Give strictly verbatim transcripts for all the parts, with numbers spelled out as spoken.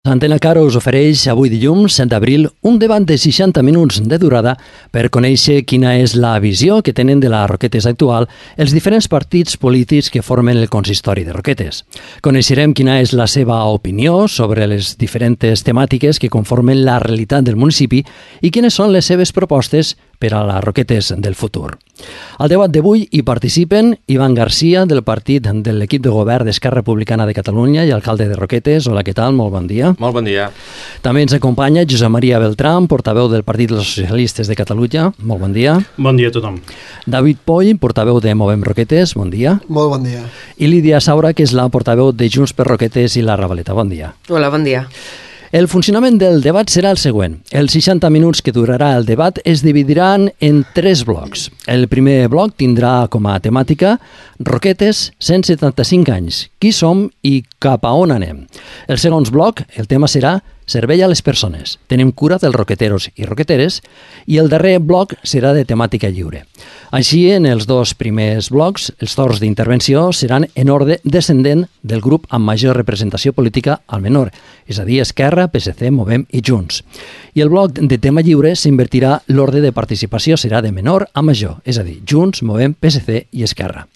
Antena Caro us ofereix avui dilluns, set d'abril, un debat de seixanta minuts de durada per conèixer quina és la visió que tenen de la Roquetes actual els diferents partits polítics que formen el consistori de Roquetes. Coneixerem quina és la seva opinió sobre les diferents temàtiques que conformen la realitat del municipi i quines són les seves propostes per a les Roquetes del futur. Al debat d'avui hi participen Ivan Garcia, del partit de l'equip de govern d'Esquerra Republicana de Catalunya i alcalde de Roquetes. Hola, què tal? Molt bon dia. Molt bon dia. També ens acompanya Josep Maria Beltrán, portaveu del Partit dels Socialistes de Catalunya. Molt bon dia. Bon dia a tothom. David Poll, portaveu de Movem Roquetes. Bon dia. Molt bon dia. I Lídia Saura, que és la portaveu de Junts per Roquetes i la Ravaleta. Bon dia. Hola, bon dia. El funcionament del debat serà el següent. Els seixanta minuts que durarà el debat es dividiran en tres blocs. El primer bloc tindrà com a temàtica Roquetes, cent setanta-cinc anys. Qui som i cap a on anem? El segon bloc, el tema serà Servei a les persones. Tenim cura dels roqueteros i roqueteres. I el darrer bloc serà de temàtica lliure. Així, en els dos primers blocs, els torns d'intervenció seran en ordre descendent del grup amb major representació política al menor, és a dir, Esquerra, P S C, Movem i Junts. I el bloc de tema lliure s'invertirà l'ordre de participació, serà de menor a major, és a dir, Junts, Movem, P S C i Esquerra.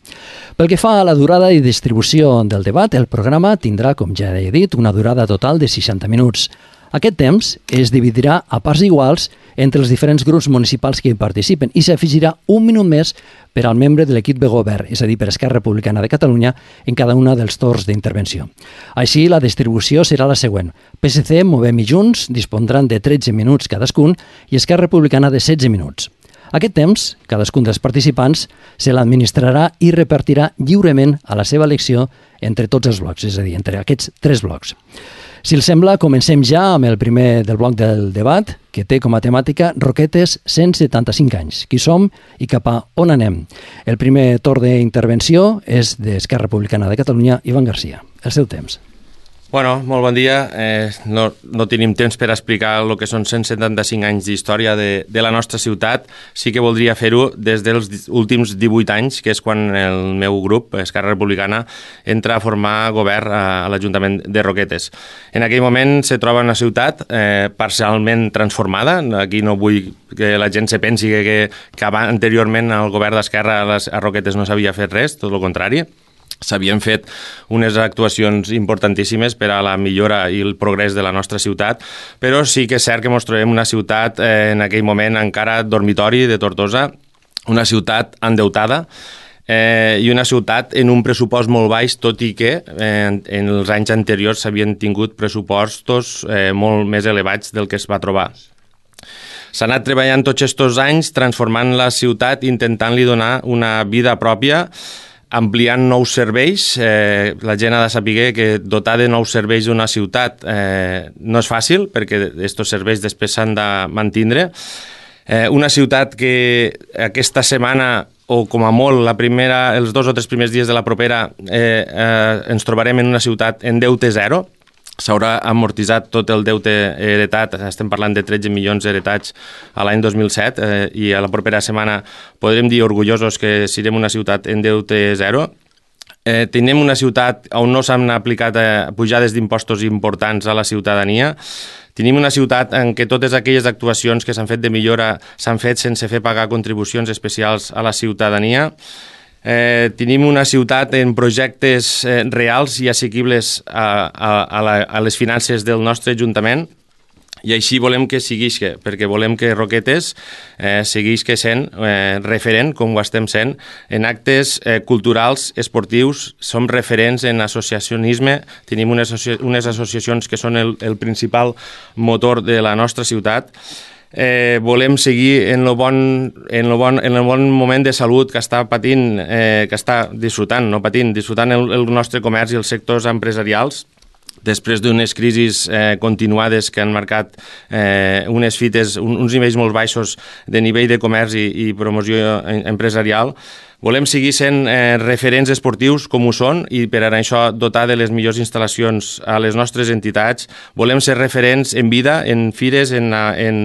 Pel que fa a la durada i distribució del debat, el programa tindrà, com ja he dit, una durada total de seixanta minuts. Aquest temps es dividirà a parts iguals entre els diferents grups municipals que hi participen i s'afegirà un minut més per al membre de l'equip de govern, és a dir, per Esquerra Republicana de Catalunya, en cada una dels torns d'intervenció. Així, la distribució serà la següent. P S C, Movem i Junts dispondran de tretze minuts cadascun i Esquerra Republicana de setze minuts. Aquest temps, cadascun dels participants, se l'administrarà i repartirà lliurement a la seva elecció entre tots els blocs, és a dir, entre aquests tres blocs. Si els sembla, comencem ja amb el primer del bloc del debat, que té com a temàtica Roquetes, cent setanta-cinc anys. Qui som i cap a on anem? El primer torn d'intervenció és d'Esquerra Republicana de Catalunya, Ivan Garcia. El seu temps. Bueno, molt bon dia. Eh, no, no tenim temps per explicar el que són cent setanta-cinc anys d'història de, de la nostra ciutat. Sí que voldria fer-ho des dels últims divuit anys, que és quan el meu grup, Esquerra Republicana, entra a formar govern a, a l'Ajuntament de Roquetes. En aquell moment se troba una ciutat eh, parcialment transformada. Aquí no vull que la gent se pensi que, que, que anteriorment el govern d'Esquerra a, les, a Roquetes no s'havia fet res, tot el contrari. S'havien fet unes actuacions importantíssimes per a la millora i el progrés de la nostra ciutat, però sí que és cert que ens trobem una ciutat eh, en aquell moment encara dormitori de Tortosa, una ciutat endeutada eh, i una ciutat en un pressupost molt baix, tot i que eh, en els anys anteriors s'havien tingut pressupostos eh, molt més elevats del que es va trobar. S'ha anat treballant tots aquests anys transformant la ciutat, intentant-li donar una vida pròpia, ampliant nous serveis. Eh, la gent ha de saber que dotar de nous serveis d'una ciutat eh, no és fàcil, perquè aquests serveis després s'han de mantindre. Eh, una ciutat que aquesta setmana, o com a molt la primera, els dos o tres primers dies de la propera, eh, eh, ens trobarem en una ciutat en deute zero. S'haurà amortitzat tot el deute heretat, estem parlant de tretze milions heretats a l'any dos mil set eh, i a la propera setmana podrem dir orgullosos que serem una ciutat en deute zero. Eh, tenim una ciutat on no s'han aplicat eh, pujades d'impostos importants a la ciutadania. Tenim una ciutat en què totes aquelles actuacions que s'han fet de millora s'han fet sense fer pagar contribucions especials a la ciutadania. Eh, tenim una ciutat en projectes eh, reals i assequibles a, a, a, la, a les finances del nostre Ajuntament, i així volem que seguisca, perquè volem que Roquetes eh, seguisca sent eh, referent, com ho estem sent, en actes eh, culturals, esportius. Som referents en associacionisme, tenim unes, associ unes associacions que són el, el principal motor de la nostra ciutat. Eh, volem seguir en el bon, en el bon, en el bon moment de salut que està patint, eh, que està disfrutant, no patint, disfrutant el, el nostre comerç i els sectors empresarials, després d'unes crisis eh, continuades que han marcat eh, unes fites, un, uns nivells molt baixos de nivell de comerç i, i promoció empresarial. Volem seguir sent eh, referents esportius com ho són i per això dotar de les millors instal·lacions a les nostres entitats. Volem ser referents en vida, en fires, en, en,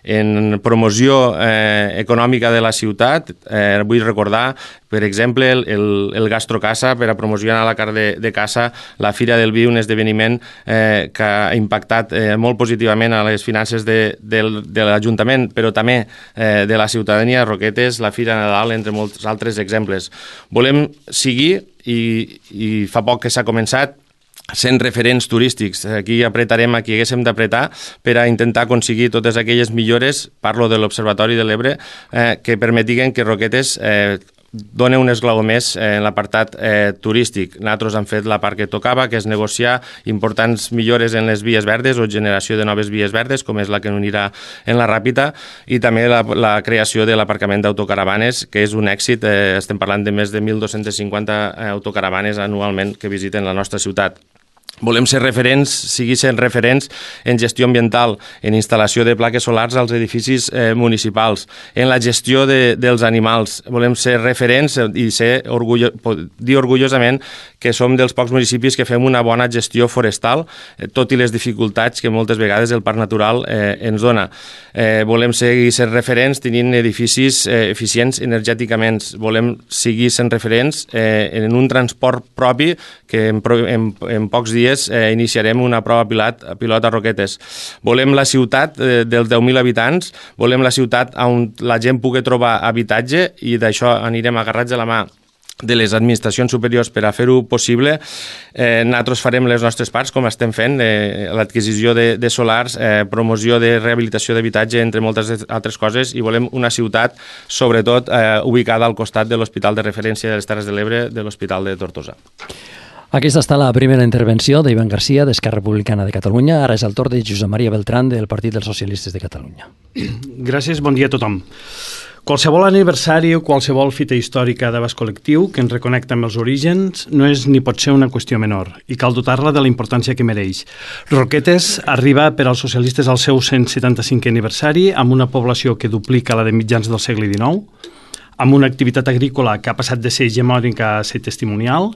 en promoció eh, econòmica de la ciutat. Eh, vull recordar Per exemple, el, el, el Gastrocaça, per a promocionar la carn de, de caça, la Fira del Vi, un esdeveniment eh, que ha impactat eh, molt positivament a les finances de, de, de l'Ajuntament, però també eh, de la ciutadania de Roquetes, la Fira Nadal, entre molts altres exemples. Volem seguir, i, i fa poc que s'ha començat, sent referents turístics. Aquí apretarem a qui haguéssim d'apretar per a intentar aconseguir totes aquelles millores, parlo de l'Observatori de l'Ebre, eh, que permetiguen que Roquetes eh, dona un esglaó més en l'apartat eh, turístic. Nosaltres hem fet la part que tocava, que és negociar importants millores en les vies verdes o generació de noves vies verdes, com és la que unirà en la Ràpita, i també la, la creació de l'aparcament d'autocaravanes, que és un èxit. Eh, estem parlant de més de mil dos-cents cinquanta autocaravanes anualment que visiten la nostra ciutat. Volem ser referents, sigui sent referents en gestió ambiental, en instal·lació de plaques solars als edificis eh, municipals, en la gestió de, dels animals. Volem ser referents i ser orgullo, dir orgullosament que som dels pocs municipis que fem una bona gestió forestal, eh, tot i les dificultats que moltes vegades el Parc Natural eh, ens dona. Eh, volem seguir sent referents tenint edificis eh, eficients energèticament. Volem seguir sent referents eh, en un transport propi que en, en, en pocs dies Eh, iniciarem una prova pilot, pilot a Roquetes. Volem la ciutat eh, dels deu mil habitants, volem la ciutat on la gent pugui trobar habitatge, i d'això anirem agarrats de la mà de les administracions superiors per a fer-ho possible. Eh, nosaltres farem les nostres parts, com estem fent, eh, l'adquisició de, de solars, eh, promoció de rehabilitació d'habitatge, entre moltes altres coses, i volem una ciutat, sobretot, eh, ubicada al costat de l'Hospital de Referència de les Terres de l'Ebre, de l'Hospital de Tortosa. Aquesta està la primera intervenció d'Ivan Garcia, d'Esquerra Republicana de Catalunya. Ara és el torn de Josep Maria Beltrán, del Partit dels Socialistes de Catalunya. Gràcies, bon dia a tothom. Qualsevol aniversari o qualsevol fita històrica d'abast col·lectiu que ens reconnecta amb els orígens no és ni pot ser una qüestió menor, i cal dotar-la de la importància que mereix. Roquetes arriba per als socialistes al seu cent setanta-cinquè aniversari, amb una població que duplica la de mitjans del segle dinou, amb una activitat agrícola que ha passat de ser hegemònica a ser testimonial,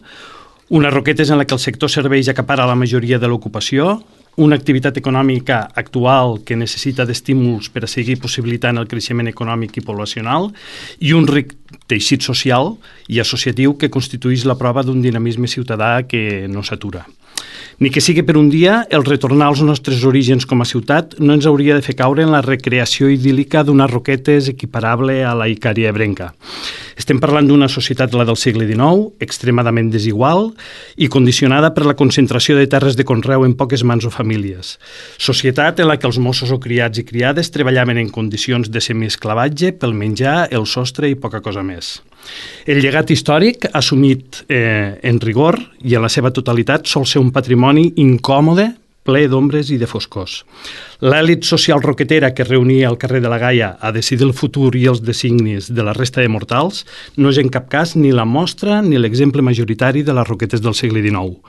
unes Roquetes en la que el sector serveis acapara la majoria de l'ocupació, una activitat econòmica actual que necessita d'estímuls per a seguir possibilitant el creixement econòmic i poblacional, i un ric teixit social i associatiu que constitueix la prova d'un dinamisme ciutadà que no s'atura. Ni que sigui per un dia, el retornar als nostres orígens com a ciutat no ens hauria de fer caure en la recreació idíl·lica d'unes Roquetes equiparable a la Icària ebrenca. Estem parlant d'una societat, la del segle dinou, extremadament desigual i condicionada per la concentració de terres de conreu en poques mans o famílies. Societat en la que els mossos o criats i criades treballaven en condicions de semiesclavatge pel menjar, el sostre i poca cosa més. El llegat històric, assumit eh, en rigor i en la seva totalitat, sol ser un patrimoni incòmode, ple d'ombres i de foscors. L'èlit social roquetera que reunia al carrer de la Gaia a decidir el futur i els designis de la resta de mortals no és en cap cas ni la mostra ni l'exemple majoritari de les Roquetes del segle dinou.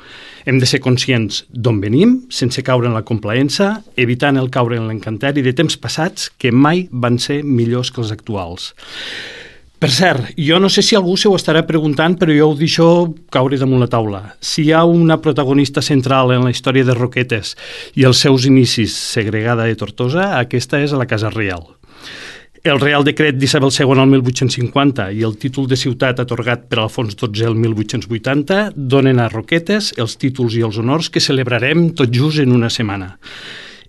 Hem de ser conscients d'on venim, sense caure en la complaença, evitant el caure en l'encanteri de temps passats que mai van ser millors que els actuals. Per cert, jo no sé si algú se ho estarà preguntant, però jo ho deixo caure damunt la taula. Si hi ha una protagonista central en la història de Roquetes i els seus inicis segregada de Tortosa, aquesta és a la Casa Reial. El Reial Decret d'Isabel segona el mil vuit-cents cinquanta i el títol de ciutat atorgat per Alfons dotze el mil vuit-cents vuitanta donen a Roquetes els títols i els honors que celebrarem tot just en una setmana.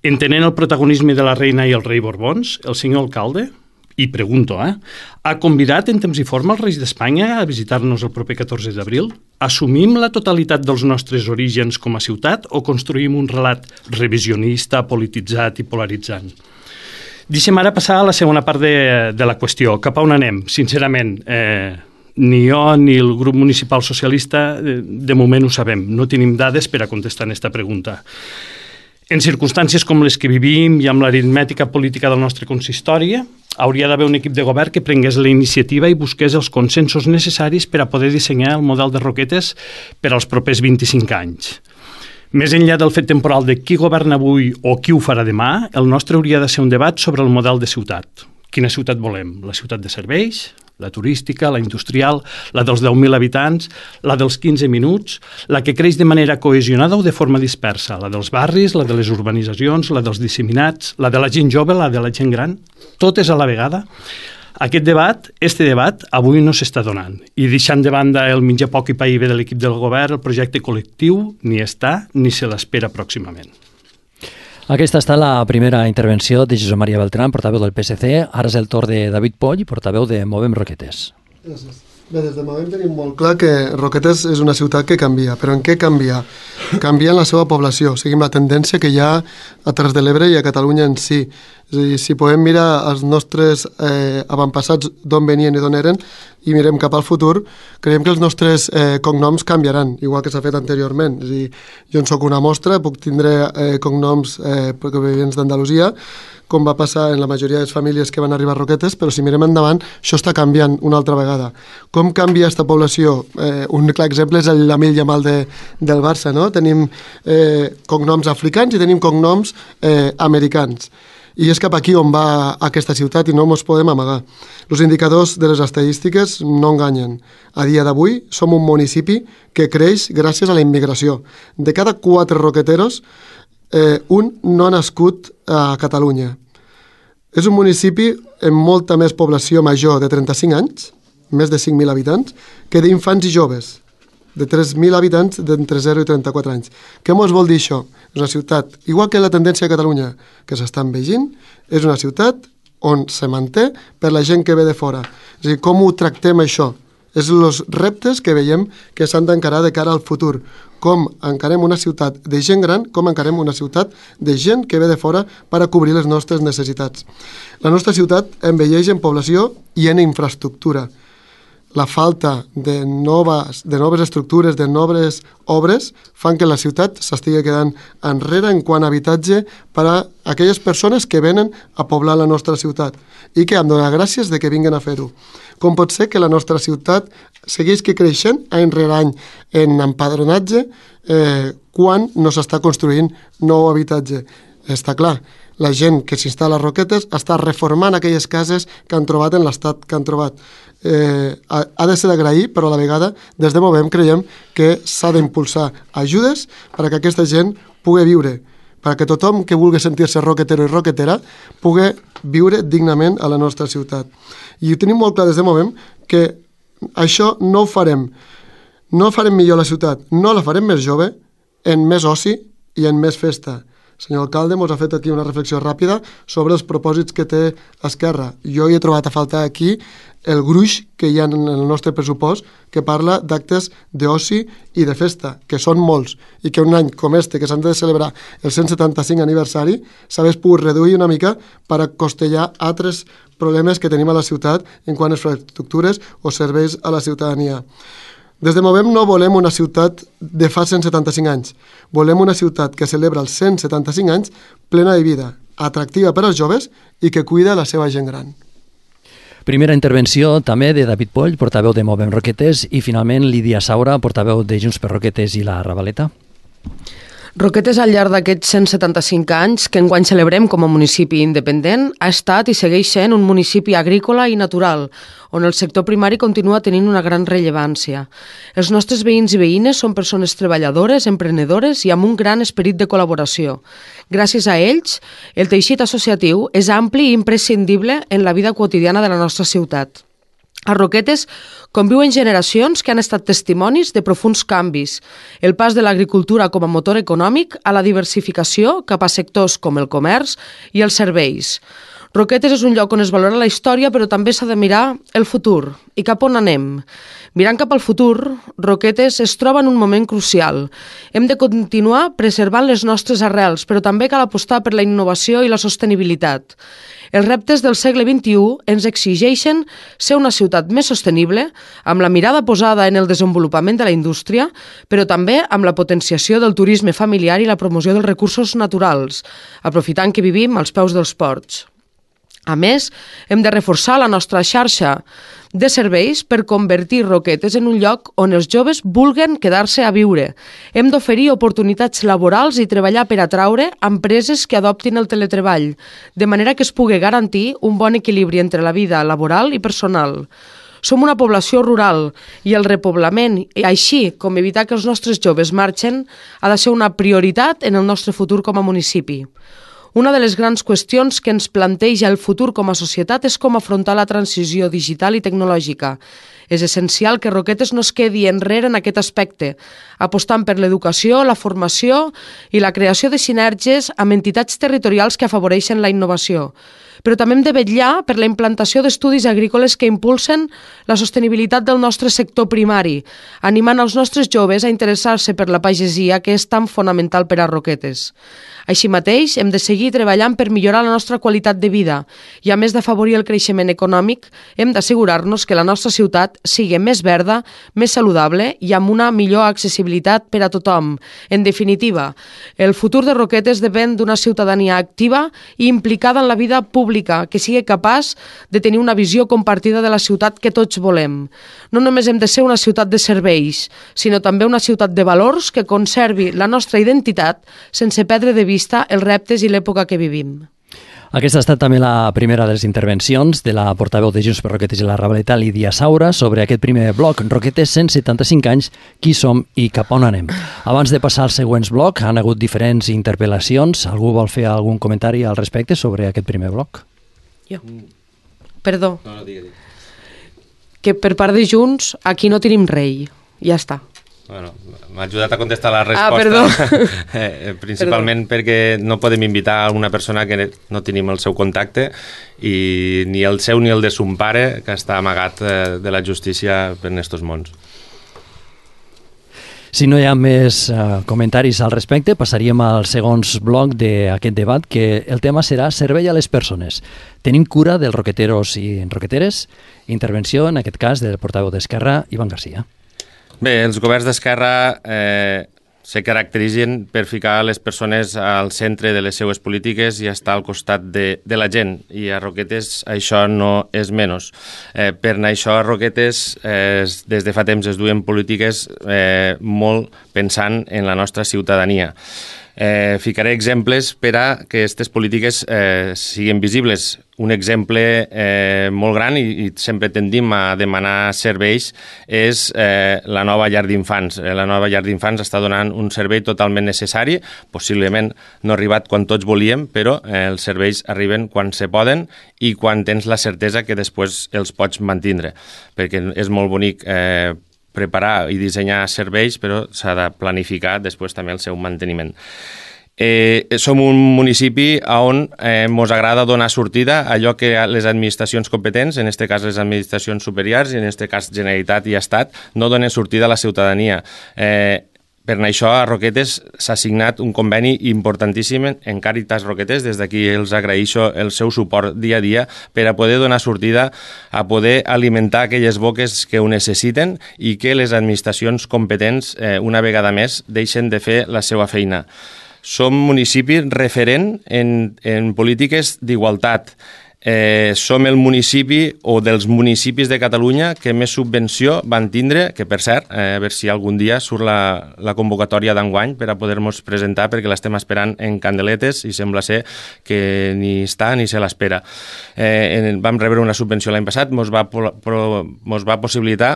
Entenent el protagonisme de la reina i el rei Borbons, el senyor alcalde, i pregunto, eh, ha convidat en temps i forma els reis d'Espanya a visitar-nos el proper catorze d'abril? Assumim la totalitat dels nostres orígens com a ciutat o construïm un relat revisionista, polititzat i polaritzant? Deixem ara passar a la segona part de, de la qüestió. Cap a on anem? Sincerament, eh, ni jo ni el grup municipal socialista eh, de moment ho sabem. No tenim dades per a contestar aquesta pregunta. En circumstàncies com les que vivim i amb l'aritmètica política del nostre consistori, hauria d'haver un equip de govern que prengués la iniciativa i busqués els consensos necessaris per a poder dissenyar el model de Roquetes per als propers vint-i-cinc anys. Més enllà del fet temporal de qui governa avui o qui ho farà demà, el nostre hauria de ser un debat sobre el model de ciutat. Quina ciutat volem? La ciutat de serveis? La turística, la industrial, la dels deu mil habitants, la dels quinze minuts, la que creix de manera cohesionada o de forma dispersa, la dels barris, la de les urbanitzacions, la dels disseminats, la de la gent jove, la de la gent gran, totes a la vegada. Aquest debat, este debat, avui no s'està donant. I deixant de banda el menjar poc i pa i bé de l'equip del govern, el projecte col·lectiu ni està ni se l'espera pròximament. Aquesta està la primera intervenció de Josep Maria Beltrán, portaveu del P S C. Ara és el torn de David Poll, portaveu de Movem Roquetes. Gràcies. Bé, des de Movem tenim molt clar que Roquetes és una ciutat que canvia, però en què canvia? Canvia en la seva població, seguim la tendència que hi ha a Terres de l'Ebre i a Catalunya en si. És a dir, si podem mirar els nostres eh, avantpassats d'on venien i d'on eren i mirem cap al futur, creiem que els nostres eh, cognoms canviaran, igual que s'ha fet anteriorment. És a dir, jo en soc una mostra, puc tindre eh, cognoms eh, provenients d'Andalusia, com va passar en la majoria de les famílies que van arribar a Roquetes, però si mirem endavant, això està canviant una altra vegada. Com canvia aquesta població? Eh, un clar exemple és el Lamil Yamal de, del Barça, no? Tenim eh, cognoms africans i tenim cognoms eh, americans. I és cap aquí on va aquesta ciutat i no ens podem amagar. Els indicadors de les estadístiques no enganyen. A dia d'avui som un municipi que creix gràcies a la immigració. De cada quatre roqueteros, eh, un no ha nascut a Catalunya. És un municipi amb molta més població major de trenta-cinc anys, més de cinc mil habitants, que d'infants i joves, de tres mil habitants d'entre zero i trenta-quatre anys. Què ens vol dir això? És una ciutat, igual que la tendència a Catalunya, que s'està envegint, és una ciutat on se manté per la gent que ve de fora. És a dir, com ho tractem això? És els reptes que veiem que s'han d'encarar de cara al futur. Com encarem una ciutat de gent gran, com encarem una ciutat de gent que ve de fora per a cobrir les nostres necessitats. La nostra ciutat envelleix en població i en infraestructura. La falta de noves, de noves estructures, de noves obres, fan que la ciutat s'estigui quedant enrere en quant a habitatge per a aquelles persones que venen a poblar la nostra ciutat i que han de donar gràcies de que vinguin a fer-ho. Com pot ser que la nostra ciutat segueix creixent any rere any en empadronatge eh, quan no s'està construint nou habitatge? Està clar, la gent que s'instal·la a Roquetes està reformant aquelles cases que han trobat en l'estat que han trobat. Eh, ha, ha de ser d'agrair, però a la vegada, des de Movem, creiem que s'ha d'impulsar ajudes perquè aquesta gent pugui viure, perquè tothom que vulgui sentir-se roquetero i roquetera pugui viure dignament a la nostra ciutat. I ho tenim molt clar des de Movem que això no ho farem. No farem millor la ciutat, no la farem més jove, en més oci i en més festa. El senyor alcalde ens ha fet aquí una reflexió ràpida sobre els propòsits que té Esquerra. Jo hi he trobat a faltar aquí el gruix que hi ha en el nostre pressupost que parla d'actes d'oci i de festa, que són molts, i que un any com este, que s'han de celebrar el cent setanta-cinc aniversari, s'hagués pogut reduir una mica per a costellar altres problemes que tenim a la ciutat en quant a infraestructures o serveis a la ciutadania. Des de Movem no volem una ciutat de fa cent setanta-cinc anys. Volem una ciutat que celebra els cent setanta-cinc anys plena de vida, atractiva per als joves i que cuida la seva gent gran. Primera intervenció també de David Poll, portaveu de Movem Roquetes, i finalment Lídia Saura, portaveu de Junts per Roquetes i la Ravaleta. Roquetes, al llarg d'aquests cent setanta-cinc anys que enguany celebrem com a municipi independent, ha estat i segueix sent un municipi agrícola i natural, on el sector primari continua tenint una gran rellevància. Els nostres veïns i veïnes són persones treballadores, emprenedores i amb un gran esperit de col·laboració. Gràcies a ells, el teixit associatiu és ampli i imprescindible en la vida quotidiana de la nostra ciutat. A Roquetes conviuen generacions que han estat testimonis de profuns canvis, el pas de l'agricultura com a motor econòmic a la diversificació cap a sectors com el comerç i els serveis. Roquetes és un lloc on es valora la història, però també s'ha de mirar el futur. I cap on anem? Mirant cap al futur, Roquetes es troba en un moment crucial. Hem de continuar preservant les nostres arrels, però també cal apostar per la innovació i la sostenibilitat. Els reptes del segle vint-i-u ens exigeixen ser una ciutat més sostenible, amb la mirada posada en el desenvolupament de la indústria, però també amb la potenciació del turisme familiar i la promoció dels recursos naturals, aprofitant que vivim als peus dels ports. A més, hem de reforçar la nostra xarxa de serveis per convertir Roquetes en un lloc on els joves vulguen quedar-se a viure. Hem d'oferir oportunitats laborals i treballar per atraure empreses que adoptin el teletreball, de manera que es pugui garantir un bon equilibri entre la vida laboral i personal. Som una població rural i el repoblament, així com evitar que els nostres joves marxen, ha de ser una prioritat en el nostre futur com a municipi. Una de les grans qüestions que ens planteja el futur com a societat és com afrontar la transició digital i tecnològica. És essencial que Roquetes no es quedi enrere en aquest aspecte, apostant per l'educació, la formació i la creació de sinergies amb entitats territorials que afavoreixen la innovació. Però també hem de vetllar per la implantació d'estudis agrícoles que impulsen la sostenibilitat del nostre sector primari, animant els nostres joves a interessar-se per la pagesia, que és tan fonamental per a Roquetes. Així mateix, hem de seguir treballant per millorar la nostra qualitat de vida i, a més d'afavorir el creixement econòmic, hem d'assegurar-nos que la nostra ciutat sigui més verda, més saludable i amb una millor accessibilitat per a tothom. En definitiva, el futur de Roquetes depèn d'una ciutadania activa i implicada en la vida pública, que sigui capaç de tenir una visió compartida de la ciutat que tots volem. No només hem de ser una ciutat de serveis, sinó també una ciutat de valors que conservi la nostra identitat sense perdre de vista els reptes i l'època que vivim. Aquesta ha estat també la primera de les intervencions de la portaveu de Junts per Roquetes i la Ravaleta, Lídia Saura, sobre aquest primer bloc, Roquetes, cent setanta-cinc anys, qui som i cap on anem. Abans de passar als següents blocs, han hagut diferents interpel·lacions. Algú vol fer algun comentari al respecte sobre aquest primer bloc? Jo. Perdó. No, no, digue, digue. Que per part de Junts, aquí no tenim rei. Ja està. Bueno, m'ha ajudat a contestar la resposta. Ah, perdó. eh, principalment perdó. Perquè no podem invitar a una persona que no tenim el seu contacte i ni el seu ni el de son pare, que està amagat eh, de la justícia per estos mons. Si no hi ha més uh, comentaris al respecte, passaríem al segon bloc d'aquest debat, que el tema serà servei a les persones. Tenim cura dels roqueteros i roqueteres? Intervenció, en aquest cas, del portaveu d'Esquerra, Ivan Garcia. Bé, els governs d'Esquerra eh, se caracteritzen per ficar les persones al centre de les seues polítiques i estar al costat de, de la gent, i a Roquetes això no és menys. Eh, per això a Roquetes eh, des de fa temps es duen polítiques eh, molt pensant en la nostra ciutadania. Eh, ficaré exemples per a que aquestes polítiques eh, siguin visibles. Un exemple eh, molt gran, i, i sempre tendim a demanar serveis, és eh, la nova llar d'infants. Eh, la nova llar d'infants està donant un servei totalment necessari, possiblement no ha arribat quan tots volíem, però eh, els serveis arriben quan se poden i quan tens la certesa que després els pots mantindre, perquè és molt bonic eh, preparar i dissenyar serveis, però s'ha de planificar després també el seu manteniment. Eh, som un municipi on eh, mos agrada donar sortida a allò que les administracions competents, en aquest cas les administracions superiors i en aquest cas Generalitat i Estat, no donen sortida a la ciutadania. Eh, Per això a Roquetes s'ha signat un conveni importantíssim en Càritas Roquetes. Des d'aquí els agraeixo el seu suport dia a dia per a poder donar sortida, a poder alimentar aquelles boques que ho necessiten i que les administracions competents, eh, una vegada més, deixen de fer la seva feina. Som municipi referent en, en polítiques d'igualtat. Eh, som el municipi o dels municipis de Catalunya que més subvenció van tindre, que per cert, eh, a veure si algun dia surt la, la convocatòria d'enguany per a poder-nos presentar, perquè l'estem esperant en candeletes i sembla ser que ni està ni se l'espera. Eh, vam rebre una subvenció l'any passat, mos va, pro, mos va possibilitar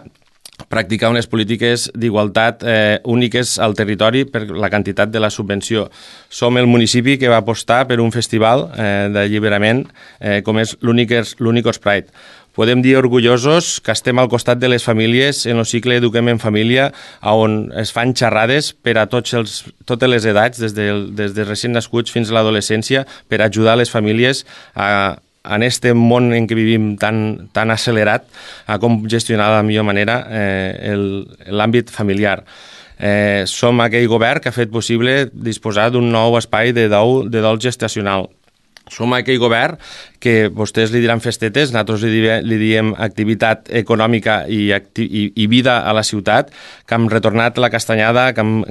practicar unes polítiques d'igualtat eh, úniques al territori per la quantitat de la subvenció. Som el municipi que va apostar per un festival eh, d'alliberament eh, com és l'Unicos Pride. Podem dir orgullosos que estem al costat de les famílies en el cicle Eduquem en Família, on es fan xerrades per a tots els, totes les edats, des de, des de recient nascuts fins a l'adolescència, per ajudar les famílies a en aquest món en què vivim tan, tan accelerat, a com gestionar de la millor manera eh, l'àmbit familiar. Eh, som aquell govern que ha fet possible disposar d'un nou espai de dol, de dol gestacional. Som aquell govern que vostès li diran festetes, nosaltres li diem, li diem activitat econòmica i, acti i, i vida a la ciutat, que hem retornat la castanyada, que hem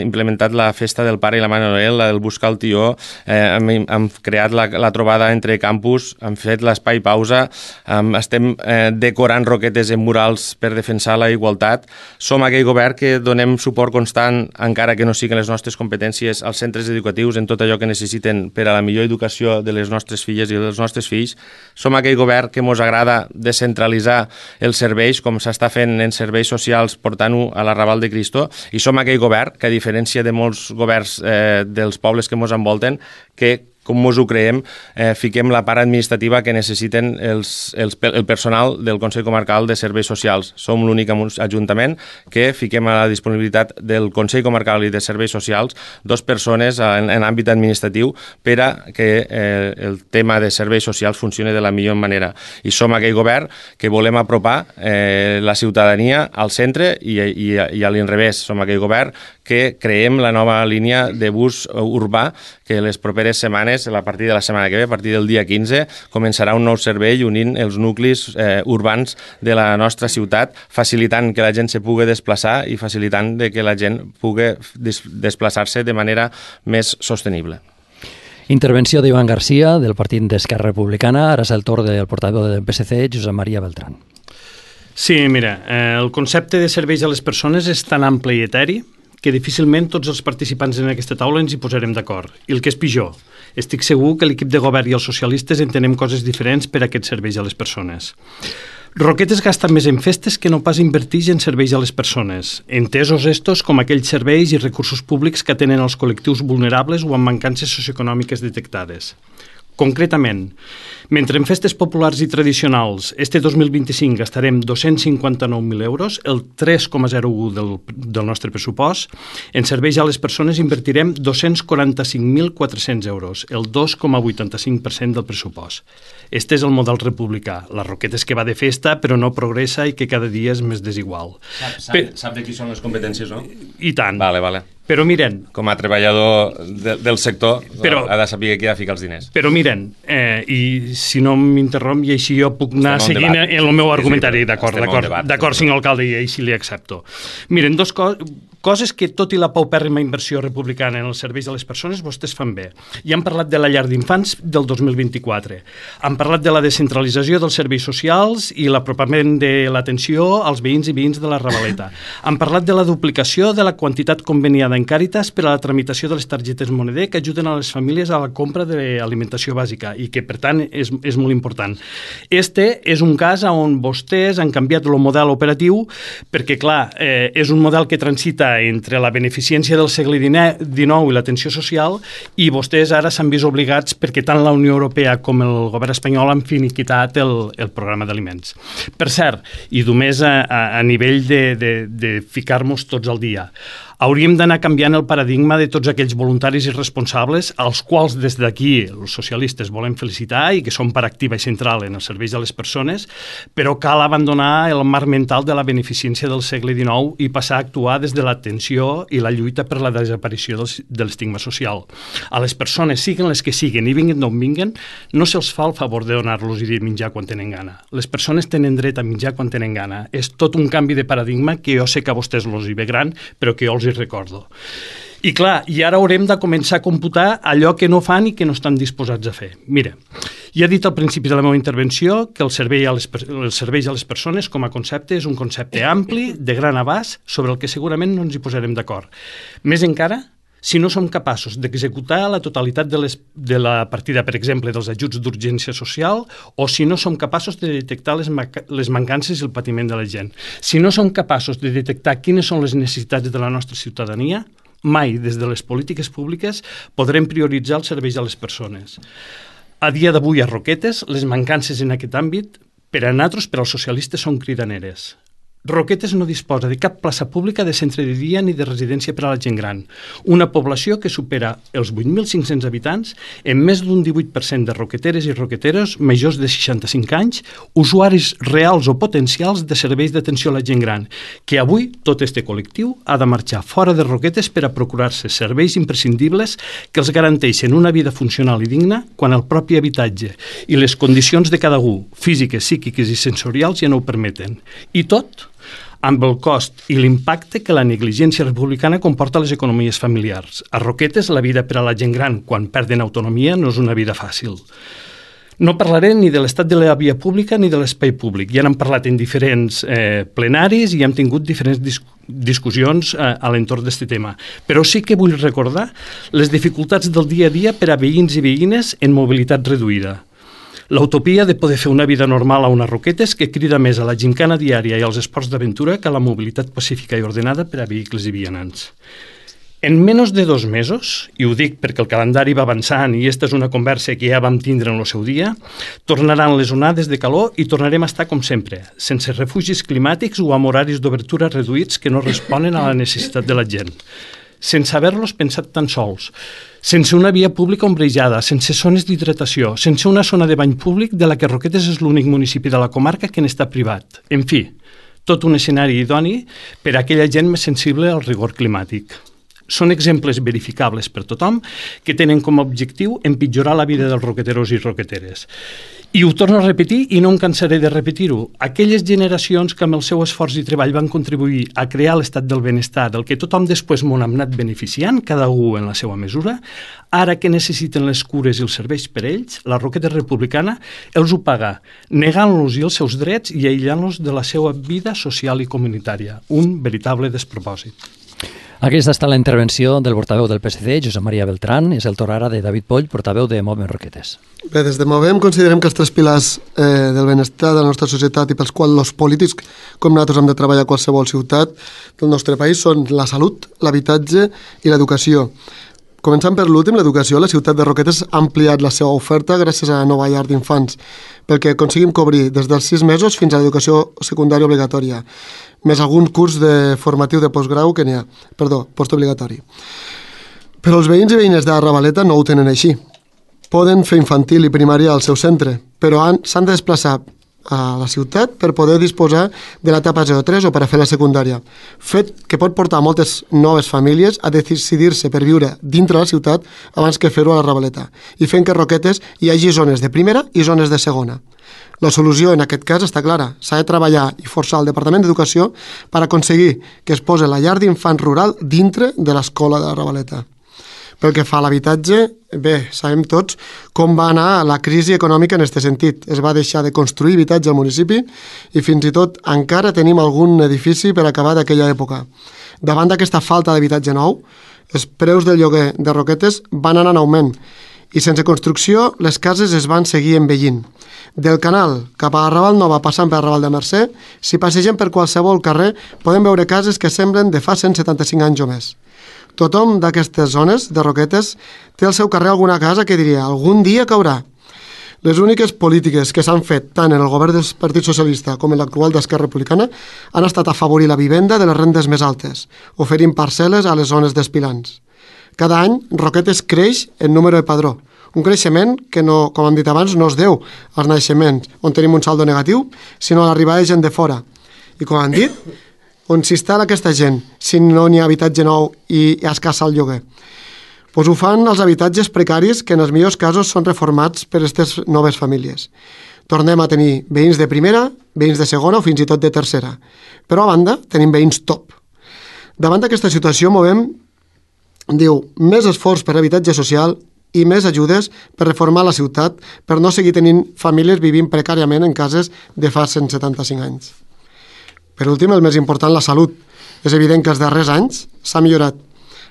implementat la festa del pare i la mare Noel, la del buscar el tió, eh, hem, hem creat la, la trobada entre campus, hem fet l'espai pausa, hem, estem eh, decorant Roquetes en murals per defensar la igualtat. Som aquell govern que donem suport constant, encara que no siguin les nostres competències, als centres educatius en tot allò que necessiten per a la millor educació de les nostres filles i dels nostres fills. Som aquell govern que ens agrada descentralitzar els serveis, com s'està fent en serveis socials portant-ho a la Raval de Cristo, i som aquell govern que, a diferència de molts governs eh, dels pobles que ens envolten, que com ens ho creiem, eh, fiquem la part administrativa que necessiten els, els, el personal del Consell Comarcal de Serveis Socials. Som l'únic ajuntament que fiquem a la disponibilitat del Consell Comarcal i de Serveis Socials dos persones en, en àmbit administratiu per a que eh, el tema de serveis socials funcioni de la millor manera. I som aquell govern que volem apropar eh, la ciutadania al centre i, i, i a l'inrevés. Som aquell govern que creem la nova línia de bus urbà que les properes setmanes, a partir de la setmana que ve, a partir del dia quinze, començarà un nou servei unint els nuclis eh, urbans de la nostra ciutat, facilitant que la gent se pugui desplaçar i facilitant de que la gent pugui des desplaçar-se de manera més sostenible. Intervenció d'Ivan Garcia, del Partit d'Esquerra Republicana. Ara és el torn del portaveu del P S C, Josep Maria Beltrán. Sí, mira, eh, el concepte de serveis a les persones és tan ample i eteri que difícilment tots els participants en aquesta taula ens hi posarem d'acord. I el que és pitjor, estic segur que l'equip de govern i els socialistes entenem coses diferents per a aquests serveis a les persones. Roquetes gasta més en festes que no pas invertix en serveis a les persones, entesos estos com aquells serveis i recursos públics que atenen els col·lectius vulnerables o amb mancances socioeconòmiques detectades. Concretament, mentre en festes populars i tradicionals este dos mil vint-i-cinc gastarem dos-cents cinquanta-nou mil euros, el tres coma zero u del, del nostre pressupost, en serveis a les persones invertirem dos-cents quaranta-cinc mil quatre-cents euros, el dos coma vuitanta-cinc per cent del pressupost. Este és el model republicà, la Roquetes que va de festa però no progressa i que cada dia és més desigual. Sap, sap, Pe... sap de qui són les competències, no? I tant. Vale, vale. Però miren... Com a treballador de, del sector, però, ha de saber qui ha de ficar els diners. Però miren, eh, i si no m'interromp, i així jo puc anar seguint en el meu argumentari, d'acord, d'acord, d'acord, senyor alcalde, i així li accepto. Miren, dos co coses que, tot i la paupèrrima inversió republicana en els serveis a les persones, vostès fan bé. Ja han parlat de la llar d'infants del dos mil vint-i-quatre. Han parlat de la descentralització dels serveis socials i l'apropament de l'atenció als veïns i veïns de la Ravaleta. Han parlat de la duplicació de la quantitat conveniada en Càritas per a la tramitació de les targetes Moneder que ajuden a les famílies a la compra d'alimentació bàsica i que, per tant, és, és molt important. Este és un cas on vostès han canviat el model operatiu perquè, clar, eh, és un model que transita entre la beneficència del segle dinou i l'atenció social i vostès ara s'han vist obligats perquè tant la Unió Europea com el govern espanyol han finiquitat el, el programa d'aliments. Per cert, i només a, a, a nivell de, de, de ficar-nos tots al dia, hauríem d'anar canviant el paradigma de tots aquells voluntaris i responsables als quals des d'aquí els socialistes volem felicitar i que són part activa i central en els serveis a les persones, però cal abandonar el marc mental de la beneficència del segle dinou i passar a actuar des de l'atenció i la lluita per la desaparició del, de l'estigma social. A les persones, siguen les que siguen i vinguen d'on vinguen, no se'ls fa el favor de donar-los i de menjar quan tenen gana. Les persones tenen dret a menjar quan tenen gana. És tot un canvi de paradigma que jo sé que a vostès els hi ve gran, però que jo els hi recordo. I clar, i ara haurem de començar a computar allò que no fan i que no estan disposats a fer. Mira, ja he dit al principi de la meva intervenció que el servei a les, els serveis a les persones com a concepte és un concepte ampli, de gran abast, sobre el que segurament no ens hi posarem d'acord. Més encara, si no som capaços d'executar la totalitat de, les, de la partida, per exemple, dels ajuts d'urgència social, o si no som capaços de detectar les, les mancances i el patiment de la gent. Si no som capaços de detectar quines són les necessitats de la nostra ciutadania, mai des de les polítiques públiques podrem prioritzar els serveis a les persones. A dia d'avui a Roquetes, les mancances en aquest àmbit, per a nosaltres, per als socialistes, són cridaneres. Roquetes no disposa de cap plaça pública de centre de dia ni de residència per a la gent gran. Una població que supera els vuit mil cinc-cents habitants, amb més d'un divuit per cent de roqueteres i roqueteros majors de seixanta-cinc anys, usuaris reals o potencials de serveis d'atenció a la gent gran, que avui tot este col·lectiu ha de marxar fora de Roquetes per a procurar-se serveis imprescindibles que els garanteixen una vida funcional i digna quan el propi habitatge i les condicions de cada un, físiques, psíquiques i sensorials, ja no ho permeten. I tot amb el cost i l'impacte que la negligència republicana comporta a les economies familiars. A Roquetes, la vida per a la gent gran, quan perden autonomia, no és una vida fàcil. No parlaré ni de l'estat de la via pública ni de l'espai públic. Ja n'hem parlat en diferents eh, plenaris i hem tingut diferents dis discussions eh, a l'entorn d'aquest tema. Però sí que vull recordar les dificultats del dia a dia per a veïns i veïnes en mobilitat reduïda. L'utopia de poder fer una vida normal a unes Roquetes que crida més a la gincana diària i als esports d'aventura que a la mobilitat pacífica i ordenada per a vehicles i vianants. En menys de dos mesos, i ho dic perquè el calendari va avançant i aquesta és una conversa que ja vam tindre en el seu dia, tornaran les onades de calor i tornarem a estar com sempre, sense refugis climàtics o amb horaris d'obertura reduïts que no responen a la necessitat de la gent, sense haver-los pensat tan sols, sense una via pública ombrejada, sense zones d'hidratació, sense una zona de bany públic de la que Roquetes és l'únic municipi de la comarca que n'està privat. En fi, tot un escenari idoni per a aquella gent més sensible al rigor climàtic. Són exemples verificables per tothom que tenen com a objectiu empitjorar la vida dels roqueteros i roqueteres. I ho torno a repetir i no em cansaré de repetir-ho. Aquelles generacions que amb el seu esforç i treball van contribuir a crear l'estat del benestar del que tothom després m'ho ha anat beneficiant, cada un en la seva mesura, ara que necessiten les cures i els serveis per ells, la Roqueta Republicana els ho paga, negant-los els seus drets i aïllant-los de la seva vida social i comunitària. Un veritable despropòsit. Aquesta està la intervenció del portaveu del P S C, Josep Maria Beltrán. És el torn ara de David Poll, portaveu de Movem Roquetes. Bé, des de Movem considerem que els tres pilars eh, del benestar de la nostra societat i pels quals els polítics com nosaltres hem de treballar a qualsevol ciutat del nostre país són la salut, l'habitatge i l'educació. Començant per l'últim, l'educació, la ciutat de Roquetes ha ampliat la seva oferta gràcies a la nova llar d'infants, perquè aconseguim cobrir des dels sis mesos fins a l'educació secundària obligatòria, més algun curs de formatiu de postgrau que n'hi ha, perdó, postobligatori. Però els veïns i veïnes de Ravaleta no ho tenen així. Poden fer infantil i primària al seu centre, però s'han de desplaçar a la ciutat per poder disposar de l'etapa zero tres o per a fer la secundària. Fet que pot portar moltes noves famílies a decidir-se per viure dintre la ciutat abans que fer-ho a la Ravaleta, i fent que a Roquetes hi hagi zones de primera i zones de segona. La solució en aquest cas està clara. S'ha de treballar i forçar el Departament d'Educació per aconseguir que es posi la llar d'infants rural dintre de l'escola de la Ravaleta. Pel que fa a l'habitatge, bé, sabem tots com va anar la crisi econòmica en aquest sentit. Es va deixar de construir habitatge al municipi i fins i tot encara tenim algun edifici per acabar d'aquella època. Davant d'aquesta falta d'habitatge nou, els preus del lloguer de Roquetes van anar en augment i sense construcció les cases es van seguir envellint. Del Canal cap a Raval Nova passant per Raval de Mercè, si passegem per qualsevol carrer podem veure cases que semblen de fa cent setanta-cinc anys o més. Tothom d'aquestes zones de Roquetes té al seu carrer alguna casa que diria algun dia caurà. Les úniques polítiques que s'han fet tant en el govern del Partit Socialista com en l'actual d'Esquerra Republicana han estat afavorir la vivenda de les rendes més altes, oferint parcel·les a les zones d'espilants. Cada any Roquetes creix en número de padró, un creixement que, no, com hem dit abans, no es deu als naixements, on tenim un saldo negatiu, sinó a l'arribada de gent de fora. I com han dit, on s'instal·la aquesta gent si no n'hi ha habitatge nou i escassa el lloguer? Pues ho fan els habitatges precaris que en els millors casos són reformats per aquestes noves famílies. Tornem a tenir veïns de primera, veïns de segona o fins i tot de tercera. Però a banda tenim veïns top. Davant d'aquesta situació Movem diu més esforç per habitatge social i més ajudes per reformar la ciutat per no seguir tenint famílies vivint precàriament en cases de fa cent setanta-cinc anys. Per últim, el més important, la salut. És evident que els darrers anys s'ha millorat.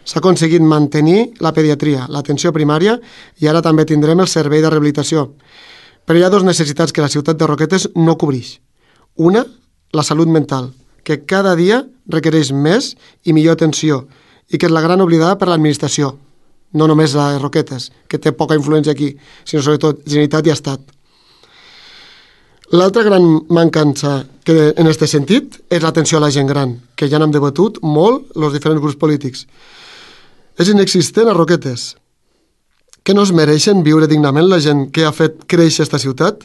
S'ha aconseguit mantenir la pediatria, l'atenció primària i ara també tindrem el servei de rehabilitació. Però hi ha dues necessitats que la ciutat de Roquetes no cobreix. Una, la salut mental, que cada dia requereix més i millor atenció i que és la gran oblidada per l'administració. No només la de Roquetes, que té poca influència aquí, sinó sobretot Generalitat i Estat. L'altra gran mancança que en aquest sentit és l'atenció a la gent gran, que ja n'hem debatut molt els diferents grups polítics. És inexistent a Roquetes. Que no es mereixen viure dignament la gent que ha fet créixer aquesta ciutat?